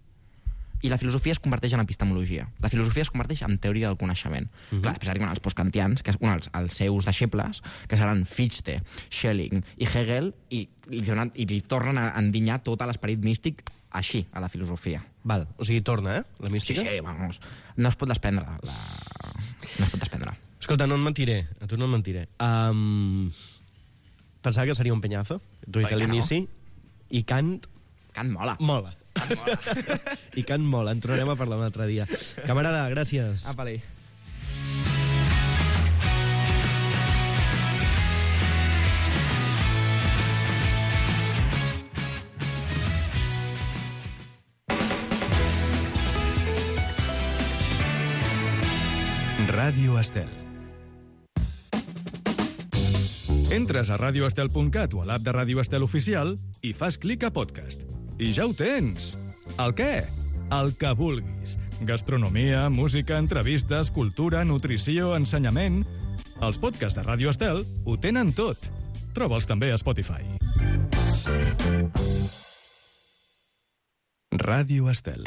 i la filosofia es converteix en epistemologia. La filosofia es converteix en teoria del coneixement. Uh-huh. Clar, després arriben els postkantians, que són els, els seus deixebles, que seran Fichte, Schelling i Hegel, i, i, donen, i li tornen a endinyar tot l'esperit místic així, a la filosofia. Val, o sigui, torna, eh, la mística? Sí, sí, vamos. No es pot desprendre. La... No es pot desprendre. Escolta, no et mentiré, a tu no et mentiré. Um, pensava que seria un penyazo, t'ho he dit a l'inici, no? I Kant... Kant mola. Mola. Kant mola. I Kant mola, en tornarem a parlar un altre dia. Camarada, gràcies. Apa-li. Ràdio Estel. Entres a radio estel punt cat o a l'app de Ràdio Estel Oficial i fas clic a podcast. I ja ho tens! El què? El que vulguis. Gastronomia, música, entrevistes, cultura, nutrició, ensenyament... Els podcasts de Ràdio Estel ho tenen tot. Troba'ls també a Spotify. Ràdio Estel.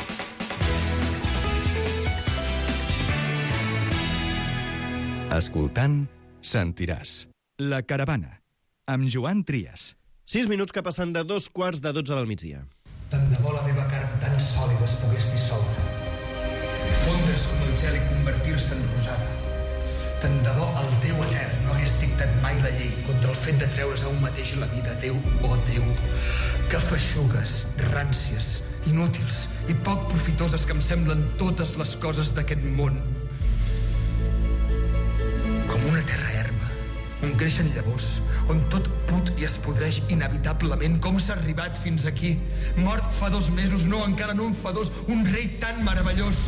Escoltant, sentiràs. La Caravana, amb Joan Trias. Sis minuts que passen de dos quarts de dotze del migdia. Tant de bo la meva carn tan sòlida es pogués dissoldre. Fondre's com el gel i convertir-se en rosada. Tant de bo el Déu etern no hagués dictat mai la llei contra el fet de treure's a un mateix la vida. Déu, oh Déu, que feixugues, ràncies, inútils i poc profitoses que em semblen totes les coses d'aquest món. Com una terra erma, on creixen llavors, on tot put i es podreix inevitablement. Com s'ha arribat fins aquí? Mort fa dos mesos, no, encara no en fa dos, un rei tan meravellós.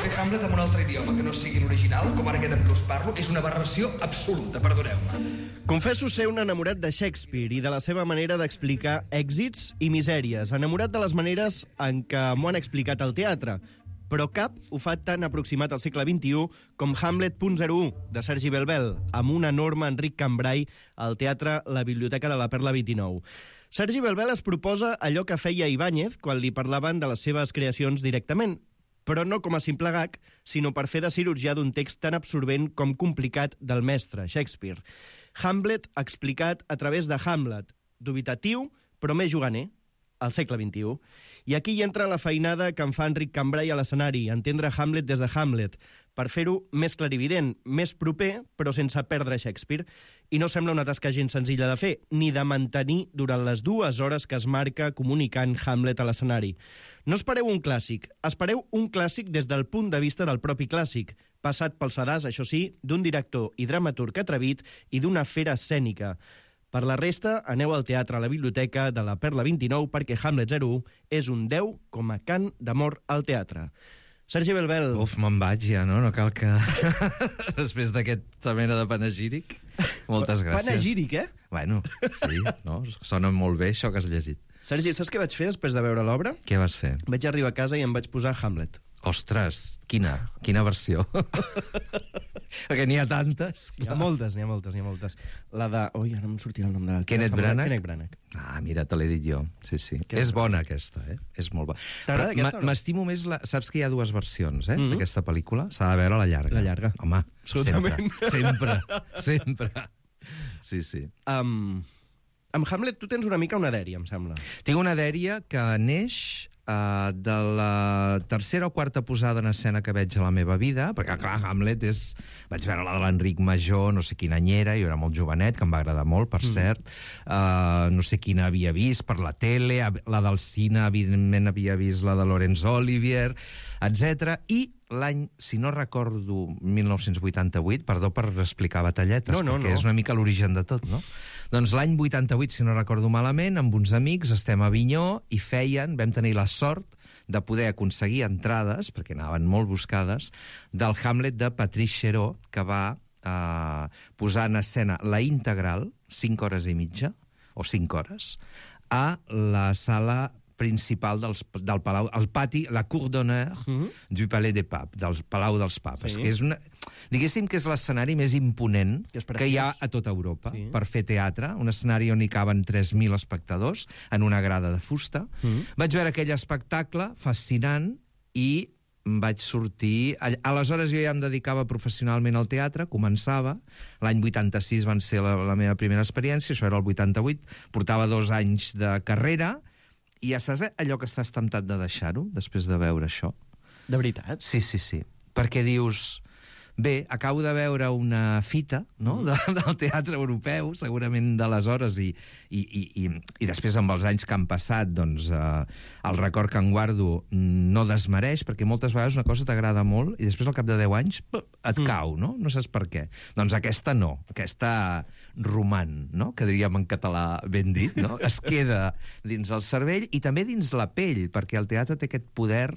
Fer Hamlet en un altre idioma que no sigui l'original, com ara aquest amb què us parlo, és una aberració absoluta, perdoneu-me. Confesso ser un enamorat de Shakespeare i de la seva manera d'explicar èxits i misèries, enamorat de les maneres en què m'ho han explicat al teatre, però cap ho fa tan aproximat al segle vint-i-u com Hamlet punt zero u, de Sergi Belbel, amb un enorme Enric Cambrai al teatre La Biblioteca de la Perla vint-i-nou. Sergi Belbel es proposa allò que feia Ibáñez quan li parlaven de les seves creacions directament, però no com a simple gag, sinó per fer de cirurgià d'un text tan absorbent com complicat del mestre, Shakespeare. Hamlet explicat a través de Hamlet, dubitatiu, però més juganer, al segle vint-i-u. I aquí hi entra la feinada que en fa Enric Cambrai a l'escenari, entendre Hamlet des de Hamlet, per fer-ho més clarivident, més proper, però sense perdre Shakespeare. I no sembla una tasca gens senzilla de fer, ni de mantenir durant les dues hores que es marca comunicant Hamlet a l'escenari. No espereu un clàssic, espereu un clàssic des del punt de vista del propi clàssic, passat pel sedàs, això sí, d'un director i dramaturg atrevit i d'una fera escènica. Per la resta, aneu al teatre a la Biblioteca de la Perla vint-i-nou perquè Hamlet zero u és un deu com a cant d'amor al teatre. Sergi Belbel. Uf, me'n vaig ja, no? No cal que... Després d'aquesta mena de panegíric. Moltes gràcies. Panegíric, eh? Bueno, sí, no? Sona molt bé això que has llegit. Sergi, saps què vaig fer després de veure l'obra? Què vas fer? Vaig arribar a casa i em vaig posar Hamlet. Ostres, quina? Quina versió? Perquè n'hi ha tantes. Hi ha moltes, n'hi ha moltes, n'hi ha moltes. La de... Ui, ara em sortirà el nom de... Kenneth Branagh? Kenneth Branagh. Ah, mira, te l'he dit jo. Sí, sí. Que és bona, aquesta, eh? És molt bona. T'agrada aquesta o no? M'estimo més... La... Saps que hi ha dues versions, eh, mm-hmm. d'aquesta pel·lícula? S'ha de veure la llarga. La llarga. Home, absolutament. Sempre, sempre, sempre. Sí, sí. Um, amb Hamlet tu tens una mica una dèria, em sembla. Tinc una dèria que neix... Uh, de la tercera o quarta posada en escena que veig a la meva vida, perquè, clar, Hamlet és... Vaig veure la de l'Enric Major, no sé quina any era, jo era molt jovenet, que em va agradar molt, per mm. cert. Uh, no sé quina havia vist per la tele, la del cine, evidentment havia vist la de Laurence Olivier, etcètera. I l'any, si no recordo, mil nou-cents vuitanta-vuit, perdó per explicar batalletes, no, no, perquè no. és una mica l'origen de tot, no? Doncs l'any vuitanta-vuit, si no recordo malament, amb uns amics estem a Avinyó i feien, vam tenir la sort de poder aconseguir entrades, perquè anaven molt buscades, del Hamlet de Patrice Chéreau, que va eh, posar en escena la integral, cinc hores i mitja, o cinc hores, a la sala principal dels, del Palau, el pati, la cour d'honneur mm-hmm. du Palais des Papes, del Palau dels Papes, sí. que és una, diguéssim que és l'escenari més imponent que, que hi ha a tota Europa sí. per fer teatre, un escenari on hi caben tres mil espectadors en una grada de fusta. Mm-hmm. Vaig veure aquell espectacle fascinant i vaig sortir... Aleshores jo ja em dedicava professionalment al teatre, començava. L'any vuitanta-sis van ser la, la meva primera experiència, això era el vuitanta-vuit, portava dos anys de carrera, i ja saps allò que estàs temptat de deixar-ho, després de veure això? De veritat? Sí, sí, sí. Perquè dius... Bé, acabo de veure una fita no? de, del teatre europeu, segurament d'aleshores, i, i, i, i, i després amb els anys que han passat, doncs, eh, el record que en guardo no desmereix, perquè moltes vegades una cosa t'agrada molt i després al cap de deu anys et mm. cau, no? No saps per què. Doncs aquesta no, aquesta roman, no? Que diríem en català ben dit, no? Es queda dins el cervell i també dins la pell, perquè el teatre té aquest poder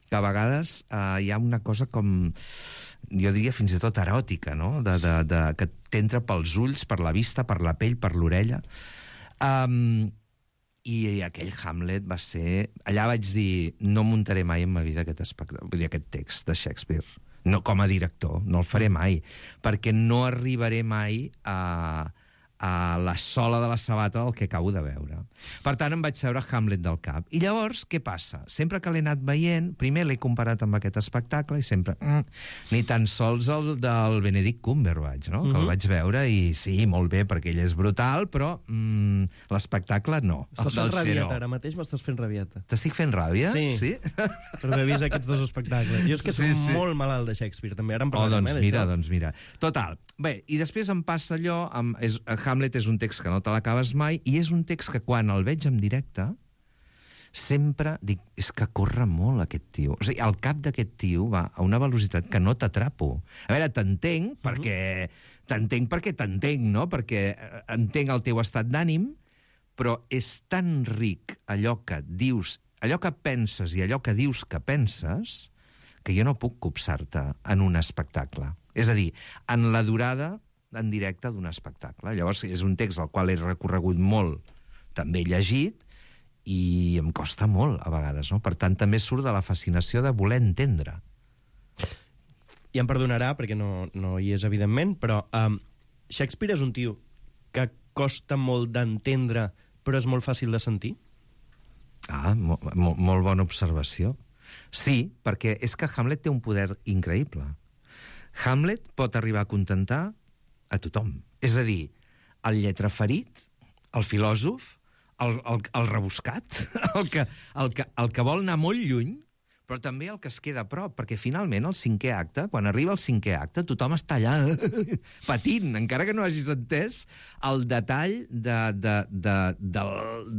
que a vegades eh, hi ha una cosa com... jo diria fins i tot eròtica, no? De, de, de, que t'entra pels ulls, per la vista, per la pell, per l'orella. Um, I aquell Hamlet va ser... Allà vaig dir, no muntaré mai en ma vida aquest, espectacle, vull dir, aquest text de Shakespeare. No, com a director, no el faré mai, perquè no arribaré mai a... a la sola de la sabata del que acabo de veure. Per tant, em vaig seure Hamlet del cap. I llavors, què passa? Sempre que l'he anat veient, primer l'he comparat amb aquest espectacle i sempre... Mm, ni tan sols el del Benedict Cumberbatch, no? Mm-hmm. Que el vaig veure i sí, molt bé, perquè ell és brutal, però mm, l'espectacle no. Estàs fent rabieta, ara mateix m'estàs fent rabieta. T'estic fent ràbia? Sí. Sí? Per haver vist aquests dos espectacles. Jo és que sí, soc sí. molt malalt de Shakespeare, també. Ara em oh, doncs eh, mira, doncs mira. Total. Bé, i després em passa allò... Amb, és, Hamlet és un text que no te l'acabes mai i és un text que quan el veig en directe sempre dic, és que corre molt aquest tio. O sigui, el cap d'aquest tio va a una velocitat que no t'atrapo. A veure, t'entenc perquè t'entenc perquè t'entenc, no? Perquè entenc el teu estat d'ànim, però és tan ric allò que dius, allò que penses i allò que dius que penses, que jo no puc copsar-te en un espectacle. És a dir, en la durada en directe d'un espectacle. Llavors, és un text al qual he recorregut molt, també llegit, i em costa molt, a vegades, no? Per tant, també surt de la fascinació de voler entendre. I em perdonarà, perquè no, no hi és, evidentment, però um, Shakespeare és un tio que costa molt d'entendre, però és molt fàcil de sentir? Ah, mo mo molt bona observació. Sí, perquè és que Hamlet té un poder increïble. Hamlet pot arribar a contentar a tothom. És a dir, el lletraferit, el filòsof, el, el, el rebuscat, el que, el, que, el que vol anar molt lluny, però també el que es queda a prop, perquè finalment el cinquè acte, quan arriba el cinquè acte, tothom està allà patint, encara que no hagis entès el detall de, de, de, de,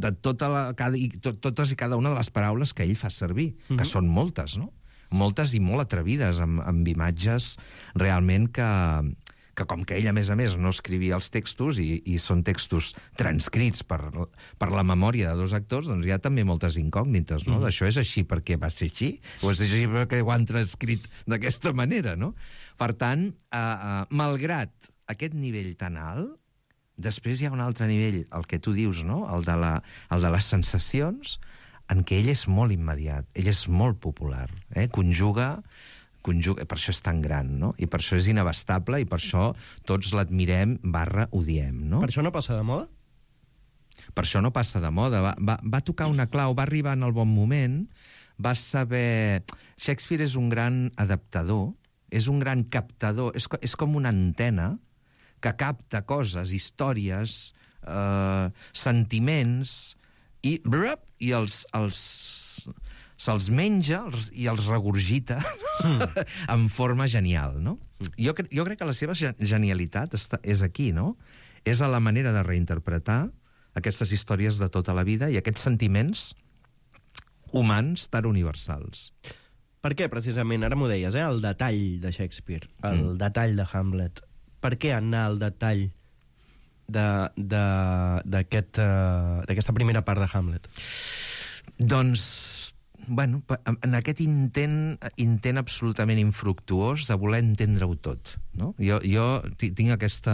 de tota la, cada, i to, totes i cada una de les paraules que ell fa servir, mm-hmm. que són moltes, no? Moltes i molt atrevides, amb, amb imatges realment que, que com que ell, a més a més, no escrivia els textos i, i són textos transcrits per, per la memòria de dos actors, doncs hi ha també moltes incògnites, no? Mm. Això és així perquè va ser així, o és així perquè ho han transcrit d'aquesta manera, no? Per tant, eh, eh, malgrat aquest nivell tan alt, després hi ha un altre nivell, el que tu dius, no? El de, la, el de les sensacions, en què ell és molt immediat, ell és molt popular, eh? Conjuga, conjuga, per això és tan gran, no? I per això és inabastable i per això tots l'admirem barra odiem, no? Per això no passa de moda? Per això no passa de moda. Va, va, va tocar una clau, va arribar en el bon moment, va saber... Shakespeare és un gran adaptador, és un gran captador, és, és com una antena que capta coses, històries, eh, sentiments... i, brup, i els, els, se'ls menja els, i els regurgita mm. en forma genial, no? Mm. Jo, cre jo crec que la seva genialitat està, és aquí, no? És a la manera de reinterpretar aquestes històries de tota la vida i aquests sentiments humans tan universals. Per què, precisament? Ara m'ho deies, eh? El detall de Shakespeare, el mm. detall de Hamlet. Per què anar al detall d'aquesta aquest, uh, primera part de Hamlet? Doncs bueno, en aquest intent, intent absolutament infructuós de voler entendre-ho tot. No? Jo, jo tinc aquesta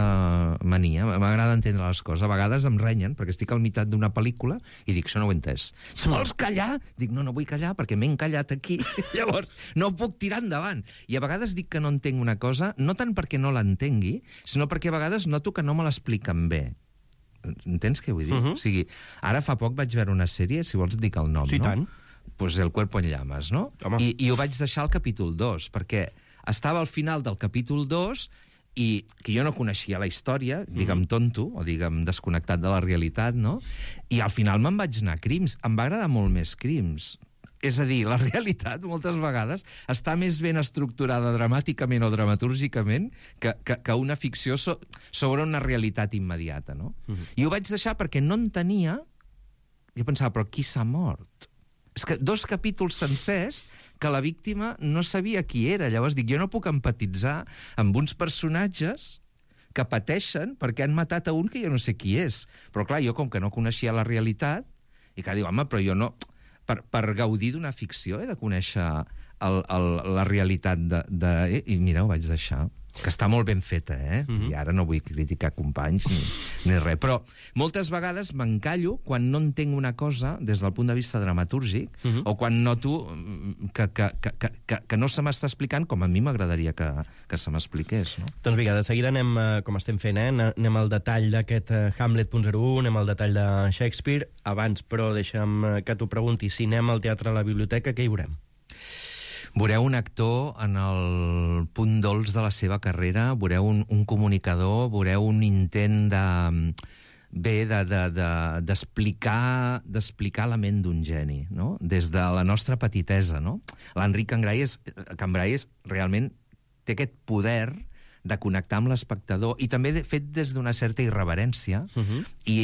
mania, m'agrada entendre les coses. A vegades em renyen, perquè estic al meitat d'una pel·lícula i dic, això no ho he entès. Vols callar? Dic, no, no vull callar perquè m'he encallat aquí. Llavors, no puc tirar endavant. I a vegades dic que no entenc una cosa, no tant perquè no l'entengui, sinó perquè a vegades noto que no me l'expliquen bé. Entens què vull dir? Uh-huh. O sigui, ara fa poc vaig veure una sèrie, si vols et dic el nom, sí, no? Tant. Pues El cuerpo en llamas, no? I, I ho vaig deixar al capítol dos, perquè estava al final del capítol dos i que jo no coneixia la història, digue'm tonto, o digue'm desconnectat de la realitat, no? I al final me'n vaig anar a Crims. Em va agradar molt més Crims. És a dir, la realitat, moltes vegades, està més ben estructurada dramàticament o dramatúrgicament que, que, que una ficció so, sobre una realitat immediata, no? Uh-huh. I ho vaig deixar perquè no entenia... Jo pensava, però qui s'ha mort? És que dos capítols sencers que la víctima no sabia qui era. Llavors dic, jo no puc empatitzar amb uns personatges que pateixen perquè han matat a un que jo no sé qui és. Però clar, jo com que no coneixia la realitat, i que dic, home, però jo no... Per, per gaudir d'una ficció he de conèixer el, el, la realitat de, de... I mira, ho vaig deixar. Que està molt ben feta, eh? Mm-hmm. I ara no vull criticar companys ni, ni res. Però moltes vegades m'encallo quan no entenc una cosa des del punt de vista dramatúrgic, mm-hmm. o quan noto que, que, que, que, que no se m'està explicant com a mi m'agradaria que, que se m'expliqués, no? Doncs vinga, de seguida anem, com estem fent, eh? anem al detall d'aquest Hamlet punt zero u, anem al detall de Shakespeare. Abans, però, deixa'm que t'ho pregunti, si anem al teatre a la biblioteca, què hi veurem? Veureu un actor en el punt dolç de la seva carrera, veureu un, un comunicador, veureu un intent de... bé, d'explicar de, de, d'explicar la ment d'un geni, no? Des de la nostra petitesa, no? L'Enric Cambray és, Cambray és realment té aquest poder de connectar amb l'espectador, i també de, fet des d'una certa irreverència, uh-huh. i,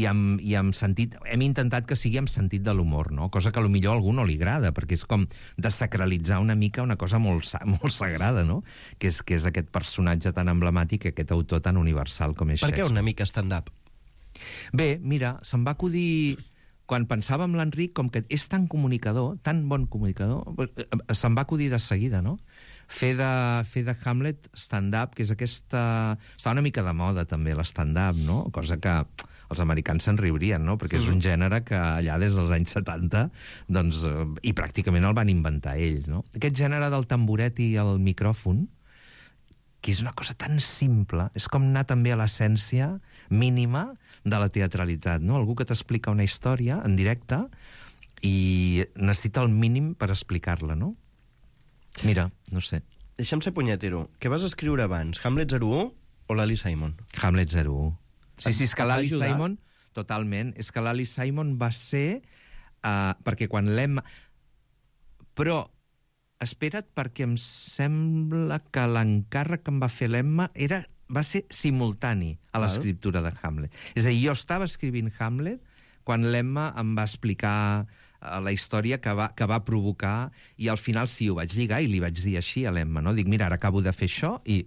i, amb, i amb sentit... Hem intentat que sigui amb sentit de l'humor, no? Cosa que potser a algú no li agrada, perquè és com desacralitzar una mica una cosa molt, molt sagrada, no? Que és, que és aquest personatge tan emblemàtic, aquest autor tan universal com és per Shakespeare. Per què una mica stand-up? Bé, mira, se'm va acudir... Quan pensava en l'Enric, com que és tan comunicador, tan bon comunicador, se'm va acudir de seguida, no? Fer de, fer de Hamlet stand-up, que és aquesta... Està una mica de moda, també, l'stand-up, no? Cosa que els americans se'n riurien, no? Perquè és un gènere que allà des dels anys setanta, doncs, i pràcticament el van inventar ells, no? Aquest gènere del tamboret i el micròfon, que és una cosa tan simple, és com anar també a l'essència mínima de la teatralitat, no? Algú que t'explica una història en directe i necessita el mínim per explicar-la, no? Mira, no sé. Deixa'm ser punyetero. Què vas escriure abans? Hamlet zero u o l'Ali Simon? Hamlet zero u. Sí, sí, és que l'Ali Simon... Totalment. És que l'Ali Simon va ser... Uh, perquè quan l'Emma... Però, espera't, perquè em sembla que l'encàrrec que em va fer l'Emma era, va ser simultani a l'escriptura de Hamlet. És a dir, jo estava escrivint Hamlet quan l'Emma em va explicar la història que va, que va provocar, i al final sí, ho vaig lligar i li vaig dir així a l'Emma, no? Dic, mira, ara acabo de fer això i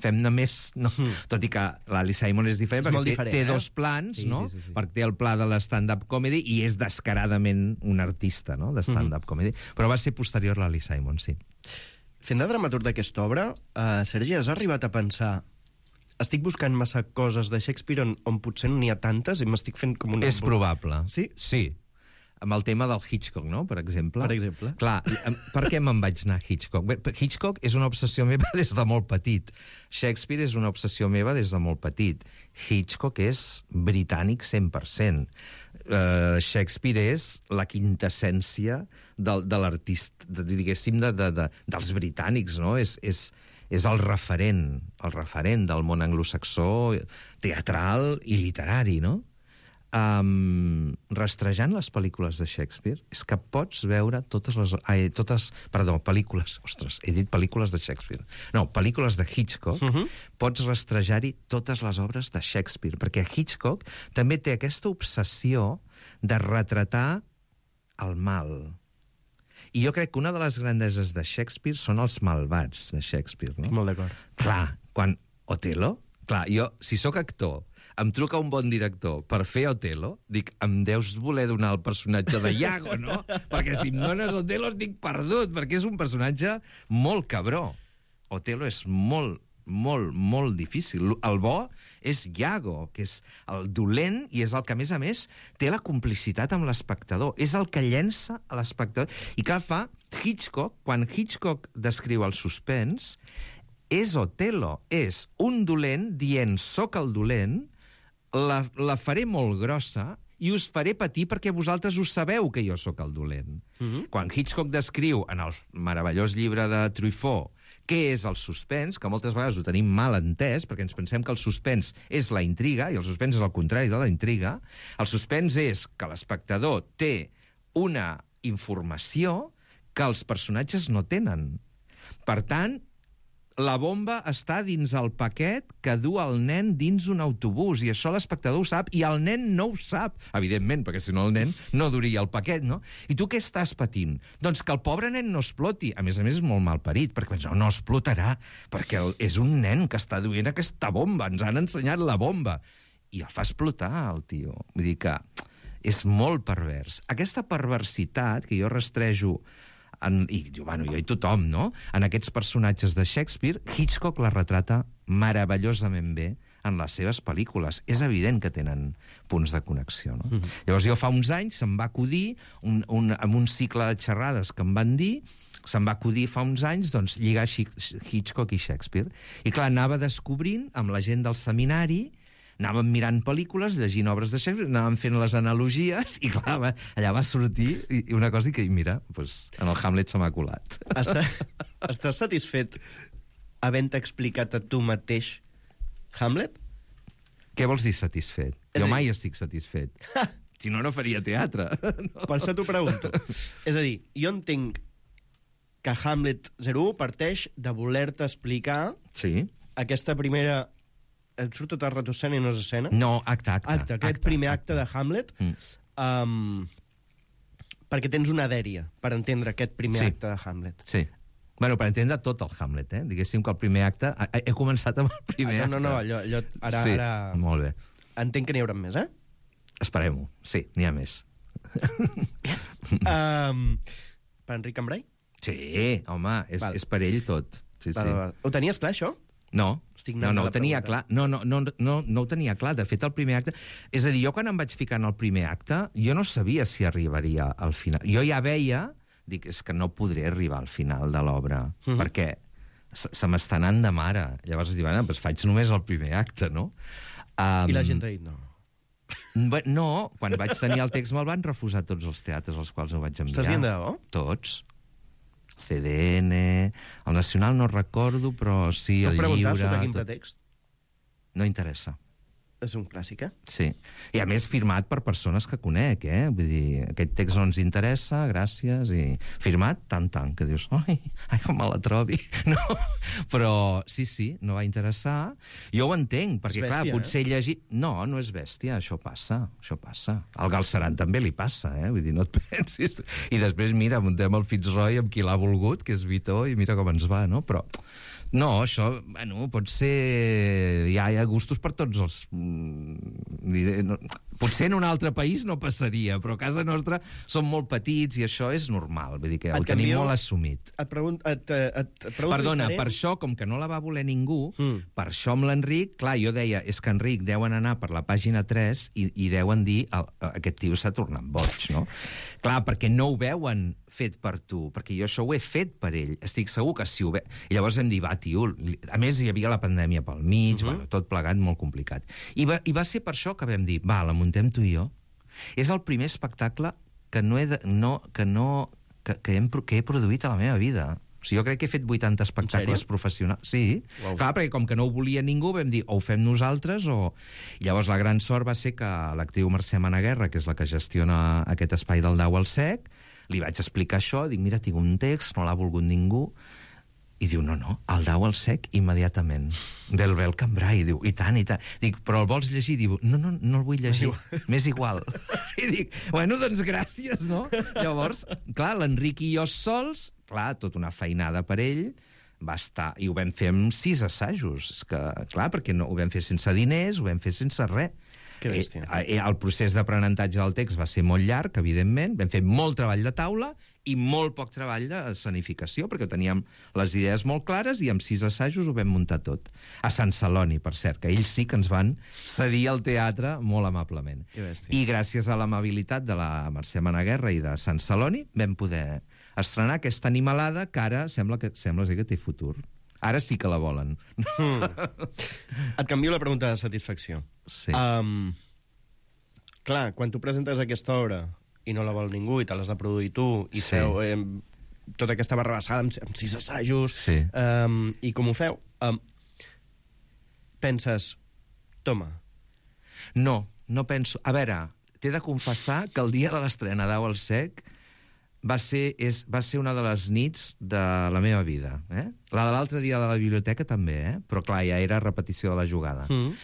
fem-ne més, no? Mm. Tot i que l'Ali Simon és diferent, és perquè té, diferent, té eh? dos plans, sí, no? Sí, sí, sí. Perquè té el pla de l'stand-up comedy i és descaradament un artista, no?, de stand-up mm. comedy. Però va ser posterior a l'Ali Simon, sí. Fent de dramaturg d'aquesta obra, uh, Sergi, has arribat a pensar estic buscant massa coses de Shakespeare on, on potser no n'hi ha tantes i m'estic fent com un... És probable. Sí? Sí. Amb el tema del Hitchcock, no?, per exemple. Per exemple. Clar, per què me'n vaig anar a Hitchcock? Bé, Hitchcock és una obsessió meva des de molt petit. Shakespeare és una obsessió meva des de molt petit. Hitchcock és britànic cent per cent. Uh, Shakespeare és la quintessència del, de l'artista, de, diguéssim, de, de, de, dels britànics, no? És, és, és el referent, el referent del món anglosaxó, teatral i literari, no? Um, rastrejant les pel·lícules de Shakespeare és que pots veure totes les... Ai, totes, perdó, pel·lícules... Ostres, he dit pel·lícules de Shakespeare. No, pel·lícules de Hitchcock. Uh-huh. Pots rastrejar-hi totes les obres de Shakespeare, perquè Hitchcock també té aquesta obsessió de retratar el mal. I jo crec que una de les grandeses de Shakespeare són els malvats de Shakespeare, no? Molt d'acord. Clar, quan Otelo... Clar, jo, si sóc actor, em truca un bon director per fer Otelo, dic, em deus voler donar el personatge de Iago, no? Perquè si em dones Otelo estic perdut, perquè és un personatge molt cabró. Otelo és molt, molt, molt difícil. El bo és Iago, que és el dolent i és el que, a més a més, té la complicitat amb l'espectador. És el que llença a l'espectador. I clar, fa Hitchcock, quan Hitchcock descriu el suspens, és Otelo, és un dolent dient soc el dolent, la, la faré molt grossa i us faré patir perquè vosaltres ho sabeu que jo sóc el dolent. Mm-hmm. Quan Hitchcock descriu en el meravellós llibre de Truffaut què és el suspens, que moltes vegades ho tenim mal entès, perquè ens pensem que el suspens és la intriga, i el suspens és el contrari de la intriga. El suspens és que l'espectador té una informació que els personatges no tenen. Per tant, la bomba està dins el paquet que du el nen dins un autobús, i això l'espectador ho sap, i el nen no ho sap, evidentment, perquè si no el nen no duria el paquet, no? I tu què estàs patint? Doncs que el pobre nen no exploti. A més a més, és molt malparit, perquè pensa, no, no explotarà, perquè és un nen que està duent aquesta bomba, ens han ensenyat la bomba. I el fa explotar, el tio. Vull dir que és molt pervers. Aquesta perversitat, que jo rastrejo En, i, bueno, jo i tothom, no? En aquests personatges de Shakespeare, Hitchcock la retrata meravellosament bé en les seves pel·lícules. És evident que tenen punts de connexió, no? Mm-hmm. Llavors, jo fa uns anys se'm va acudir, un, un, amb un cicle de xerrades que em van dir, se'm va acudir fa uns anys, doncs, lligar Hitchcock i Shakespeare. I clar, anava descobrint, amb la gent del seminari, anàvem mirant pel·lícules, llegint obres de Shakespeare, anàvem fent les analogies, i clar, va, allà va sortir una cosa que, mira, pues, en el Hamlet se m'ha colat. Està, estàs satisfet havent explicat a tu mateix Hamlet? Què vols dir satisfet? És jo dir... mai estic satisfet. Si no, no faria teatre. No. Per això t'ho pregunto. És a dir, jo entenc que Hamlet zero u parteix de voler-te explicar sí. aquesta primera... Et surt tota ratocena i no és escena? No, acte, acte. Acte, aquest acte, primer acte. acte de Hamlet, mm. um, perquè tens una dèria per entendre aquest primer sí. acte de Hamlet. Sí. Bueno, per entendre tot el Hamlet, eh? Diguéssim que el primer acte... He, he començat amb el primer ah, no, acte. No, no, allò, allò ara, sí, ara... molt bé. Entenc que n'hi haurà més, eh? Esperem-ho. Sí, n'hi ha més. um, per Enric Cambrai? Sí, home, és, és per ell tot. Sí, val, sí. Val. Ho tenies clar, això? No, no, no ho tenia clar. No, no, no, no, no ho tenia clar. De fet, el primer acte... És a dir, jo quan em vaig ficar en el primer acte, jo no sabia si arribaria al final. Jo ja veia, dic, és que no podré arribar al final de l'obra, mm-hmm. perquè se, se m'està anant de mare. Llavors dic, bueno, doncs faig només el primer acte, no? Um, I la gent ha dit no. No, quan vaig tenir el text me'l van refusar tots els teatres als quals ho vaig enviar. Estàs dient de debò? Tots. C D N, el Nacional no recordo, però sí, el llibre... No preguntar sobre quin pretext? No interessa. És un clàssic, eh? Sí. I a més firmat per persones que conec, eh? Vull dir, aquest text no ens interessa, gràcies, i firmat tant, tant, que dius, ai, ai, com me la trobi. No, però sí, sí, no va interessar. Jo ho entenc, perquè, bèstia, clar, potser eh? llegir... No, no és bèstia, això passa, això passa. Al Galceran també li passa, eh? Vull dir, no et pensis. I després, mira, muntem el Fitzroy amb qui l'ha volgut, que és Vitó, i mira com ens va, no? Però... No, això, bueno, pot ser... Hi ha, hi ha gustos per tots els... No, potser en un altre país no passaria, però a casa nostra són molt petits i això és normal, vull dir que el tenim molt assumit. Et pregunto... Et, et, et pregunto Perdona, diferent. Per això, com que no la va voler ningú, mm. per això amb l'Enric, clar, jo deia, és que Enric deuen anar per la pàgina tres i, i deuen dir, el, aquest tio s'ha tornat boig, no? Clar, perquè no ho veuen fet per tu, perquè jo això ho he fet per ell. Estic segur que si ho ve... I llavors vam dir, va, tio... A més, hi havia la pandèmia pel mig, uh-huh. bueno, tot plegat molt complicat. I va, I va ser per això que vam dir, va, la muntem tu i jo. És el primer espectacle que no he, de, no, que no, que, que, hem, que he produït a la meva vida. O sigui, jo crec que he fet vuitanta espectacles professionals. Sí, wow. Clar, perquè com que no ho volia ningú, vam dir, o ho fem nosaltres o... I llavors la gran sort va ser que l'actriu Mercè Managuerra, que és la que gestiona aquest espai del Dau al Sec, li vaig explicar això, dic, mira, tinc un text, no l'ha volgut ningú, i diu, no, no, el Dau al Sec immediatament, del Bel Cambrai, i diu, i tant, i tant. Dic, però el vols llegir? Diu, no, no, no el vull llegir, m'és igual. I dic, bueno, doncs gràcies, no? Llavors, clar, l'Enric i jo sols, clar, tota una feinada per ell, va estar... I ho vam fer amb sis assajos. És que, clar, perquè no, ho vam fer sense diners, ho vam fer sense res. Que bèstia. Eh, el procés d'aprenentatge del text va ser molt llarg, evidentment. Vam fer molt treball de taula i molt poc treball de escenificació, perquè teníem les idees molt clares i amb sis assajos ho vam muntar tot. A Sant Celoni, per cert, que ells sí que ens van cedir el teatre molt amablement. Que bèstia. I gràcies a l'amabilitat de la Mercè Managuerra i de Sant Celoni vam poder estrenar aquesta animalada que ara sembla que sembla ser que té futur. Ara sí que la volen. Mm. Et canvio la pregunta de satisfacció. Sí. Um, clar, quan tu presentes aquesta obra i no la vol ningú i te l'has de produir tu i Sí. feu eh, tota aquesta barrabassada amb, amb sis assajos Sí. um, i com ho feu, um, penses, toma. No, no penso... A veure, t'he de confessar que el dia de l'estrena d'Au al Sec va ser, és, va ser una de les nits de la meva vida. Eh? La de l'altre dia de la biblioteca també, eh? Però clar, ja era repetició de la jugada. Mm.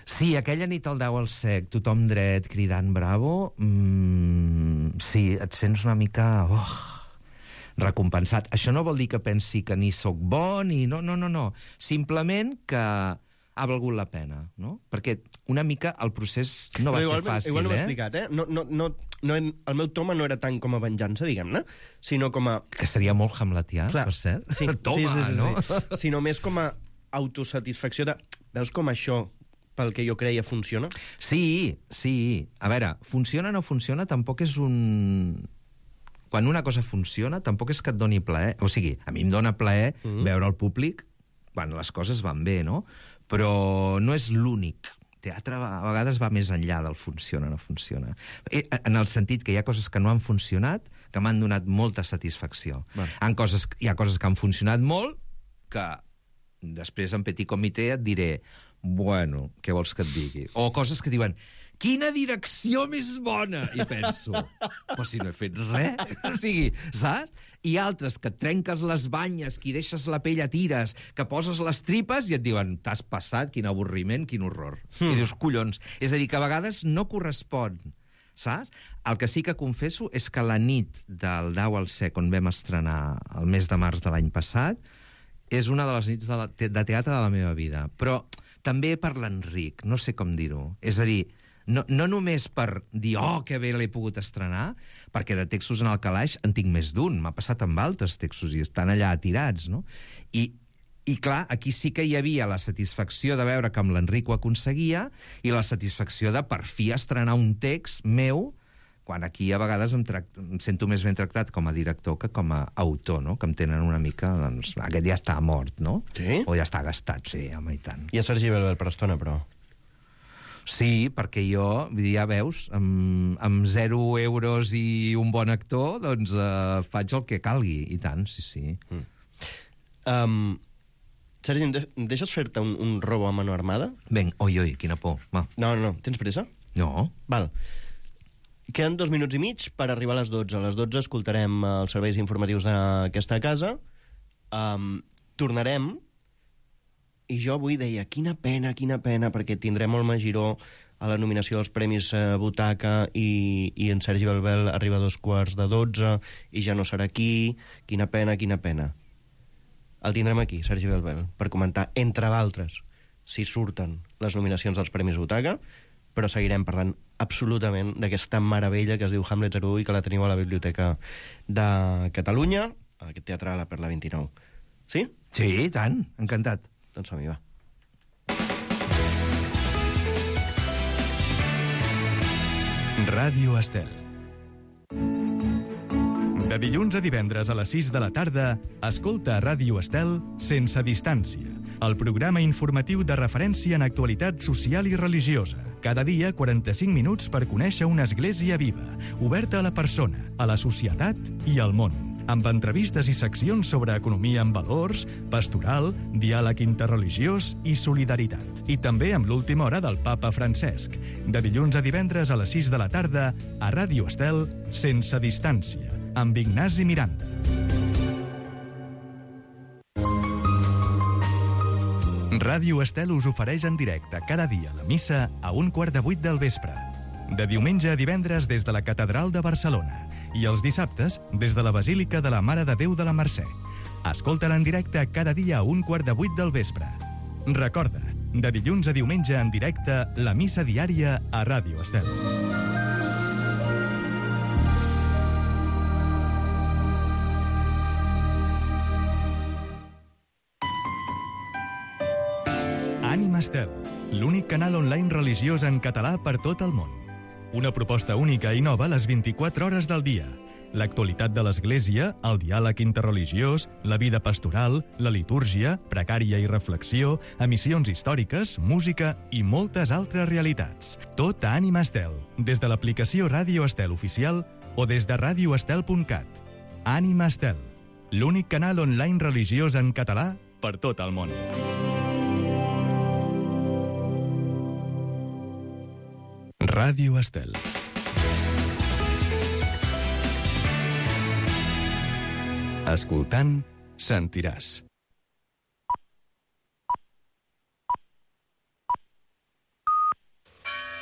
Sí, aquella nit al Dau al Sec, tothom dret, cridant bravo, mmm, sí, et sents una mica... Oh, recompensat. Això no vol dir que pensi que ni sóc bo, ni... No, no, no, no. Simplement que ha valgut la pena, no? Perquè una mica el procés no va igual, ser fàcil, igual no ho he eh? explicat, eh? No, no, no, no, el meu toma no era tant com a venjança, diguem-ne, sinó com a... Que seria molt hamletià, Clar, per cert. sí, Toma, sí, sí, sí, no? sí. Sinó més com a autosatisfacció de... Veus com això, pel que jo creia, funciona? Sí, sí. A veure, funciona o no funciona tampoc és un... Quan una cosa funciona, tampoc és que et doni plaer. O sigui, a mi em dona plaer mm -hmm. veure el públic quan les coses van bé, no? Però no és l'únic. Teatre a vegades va més enllà del funciona o no funciona. En el sentit que hi ha coses que no han funcionat que m'han donat molta satisfacció. Bueno. En coses, hi ha coses que han funcionat molt que després en petit comitè et diré bueno, què vols que et digui? O coses que diuen quina direcció més bona! I penso, però si no he fet res. O sigui, saps? I altres que et trenques les banyes, que hi deixes la pell a tires, que poses les tripes i et diuen, t'has passat, quin avorriment, quin horror. Mm. I dius, collons. És a dir, que a vegades no correspon, saps? El que sí que confesso és que la nit del Dau al Sec, on vam estrenar el mes de març de l'any passat, és una de les nits de, la, de teatre de la meva vida. Però també per l'Enric, no sé com dir-ho. És a dir, no, no només per dir, oh, que bé l'he pogut estrenar, perquè de textos en el calaix en tinc més d'un, m'ha passat amb altres textos i estan allà tirats, no? I, i clar, aquí sí que hi havia la satisfacció de veure que amb l'Enric ho aconseguia i la satisfacció de per fi estrenar un text meu, quan aquí a vegades em, tract... em sento més ben tractat com a director que com a autor, no? Que em tenen una mica, doncs, aquest ja està mort, no? Sí? O ja està gastat, sí, home, i tant. I a Sergi Belbel per estona, però... Sí, perquè jo, ja veus, amb, amb zero euros i un bon actor, doncs eh, faig el que calgui, i tant, sí, sí. Mm. Um, Sergi, em, de em deixes fer-te un, un robo a mano armada? Ben, oi, oi, quina por. Va. No, no, tens pressa? No. Val. Queden dos minuts i mig per arribar a les dotze. A les dotze escoltarem els serveis informatius d'aquesta casa. Um, tornarem... I jo avui deia, quina pena, quina pena, perquè tindrem el Magiró a la nominació dels Premis eh, Butaca i, i en Sergi Belbel arriba a dos quarts de dotze i ja no serà aquí. Quina pena, quina pena. El tindrem aquí, Sergi Belbel, per comentar, entre d'altres, si surten les nominacions dels Premis Butaca, però seguirem parlant absolutament d'aquesta meravella que es diu Hamlet zero u i que la teniu a la Biblioteca de Catalunya, a aquest teatre a la Perla vint-i-nou. Sí? Sí, i tant, encantat. Doncs som-hi, va. Ràdio Estel. De dilluns a divendres a les sis de la tarda, escolta a Ràdio Estel Sense Distància, el programa informatiu de referència en actualitat social i religiosa. Cada dia, quaranta-cinc minuts per conèixer una església viva, oberta a la persona, a la societat i al món. Amb entrevistes i seccions sobre economia amb valors, pastoral, diàleg interreligiós i solidaritat. I també amb l'última hora del papa Francesc. De dilluns a divendres a les sis de la tarda, a Ràdio Estel, Sense Distància, amb Ignasi Miranda. Ràdio Estel us ofereix en directe cada dia la missa a un quart de vuit del vespre. De diumenge a divendres des de la Catedral de Barcelona i els dissabtes des de la Basílica de la Mare de Déu de la Mercè. Escolta-la en directe cada dia a un quart de vuit del vespre. Recorda, de dilluns a diumenge en directe, la missa diària a Ràdio Estel. Ànima Estel, l'únic canal online religiós en català per tot el món. Una proposta única i nova a les vint-i-quatre hores del dia. L'actualitat de l'Església, el diàleg interreligiós, la vida pastoral, la litúrgia, pregària i reflexió, emissions històriques, música i moltes altres realitats. Tot a Ànima Estel, des de l'aplicació Ràdio Estel Oficial o des de radio estel punt cat. Ànima Estel, l'únic canal online religiós en català per tot el món. Ràdio Estel. Escoltant, sentiràs.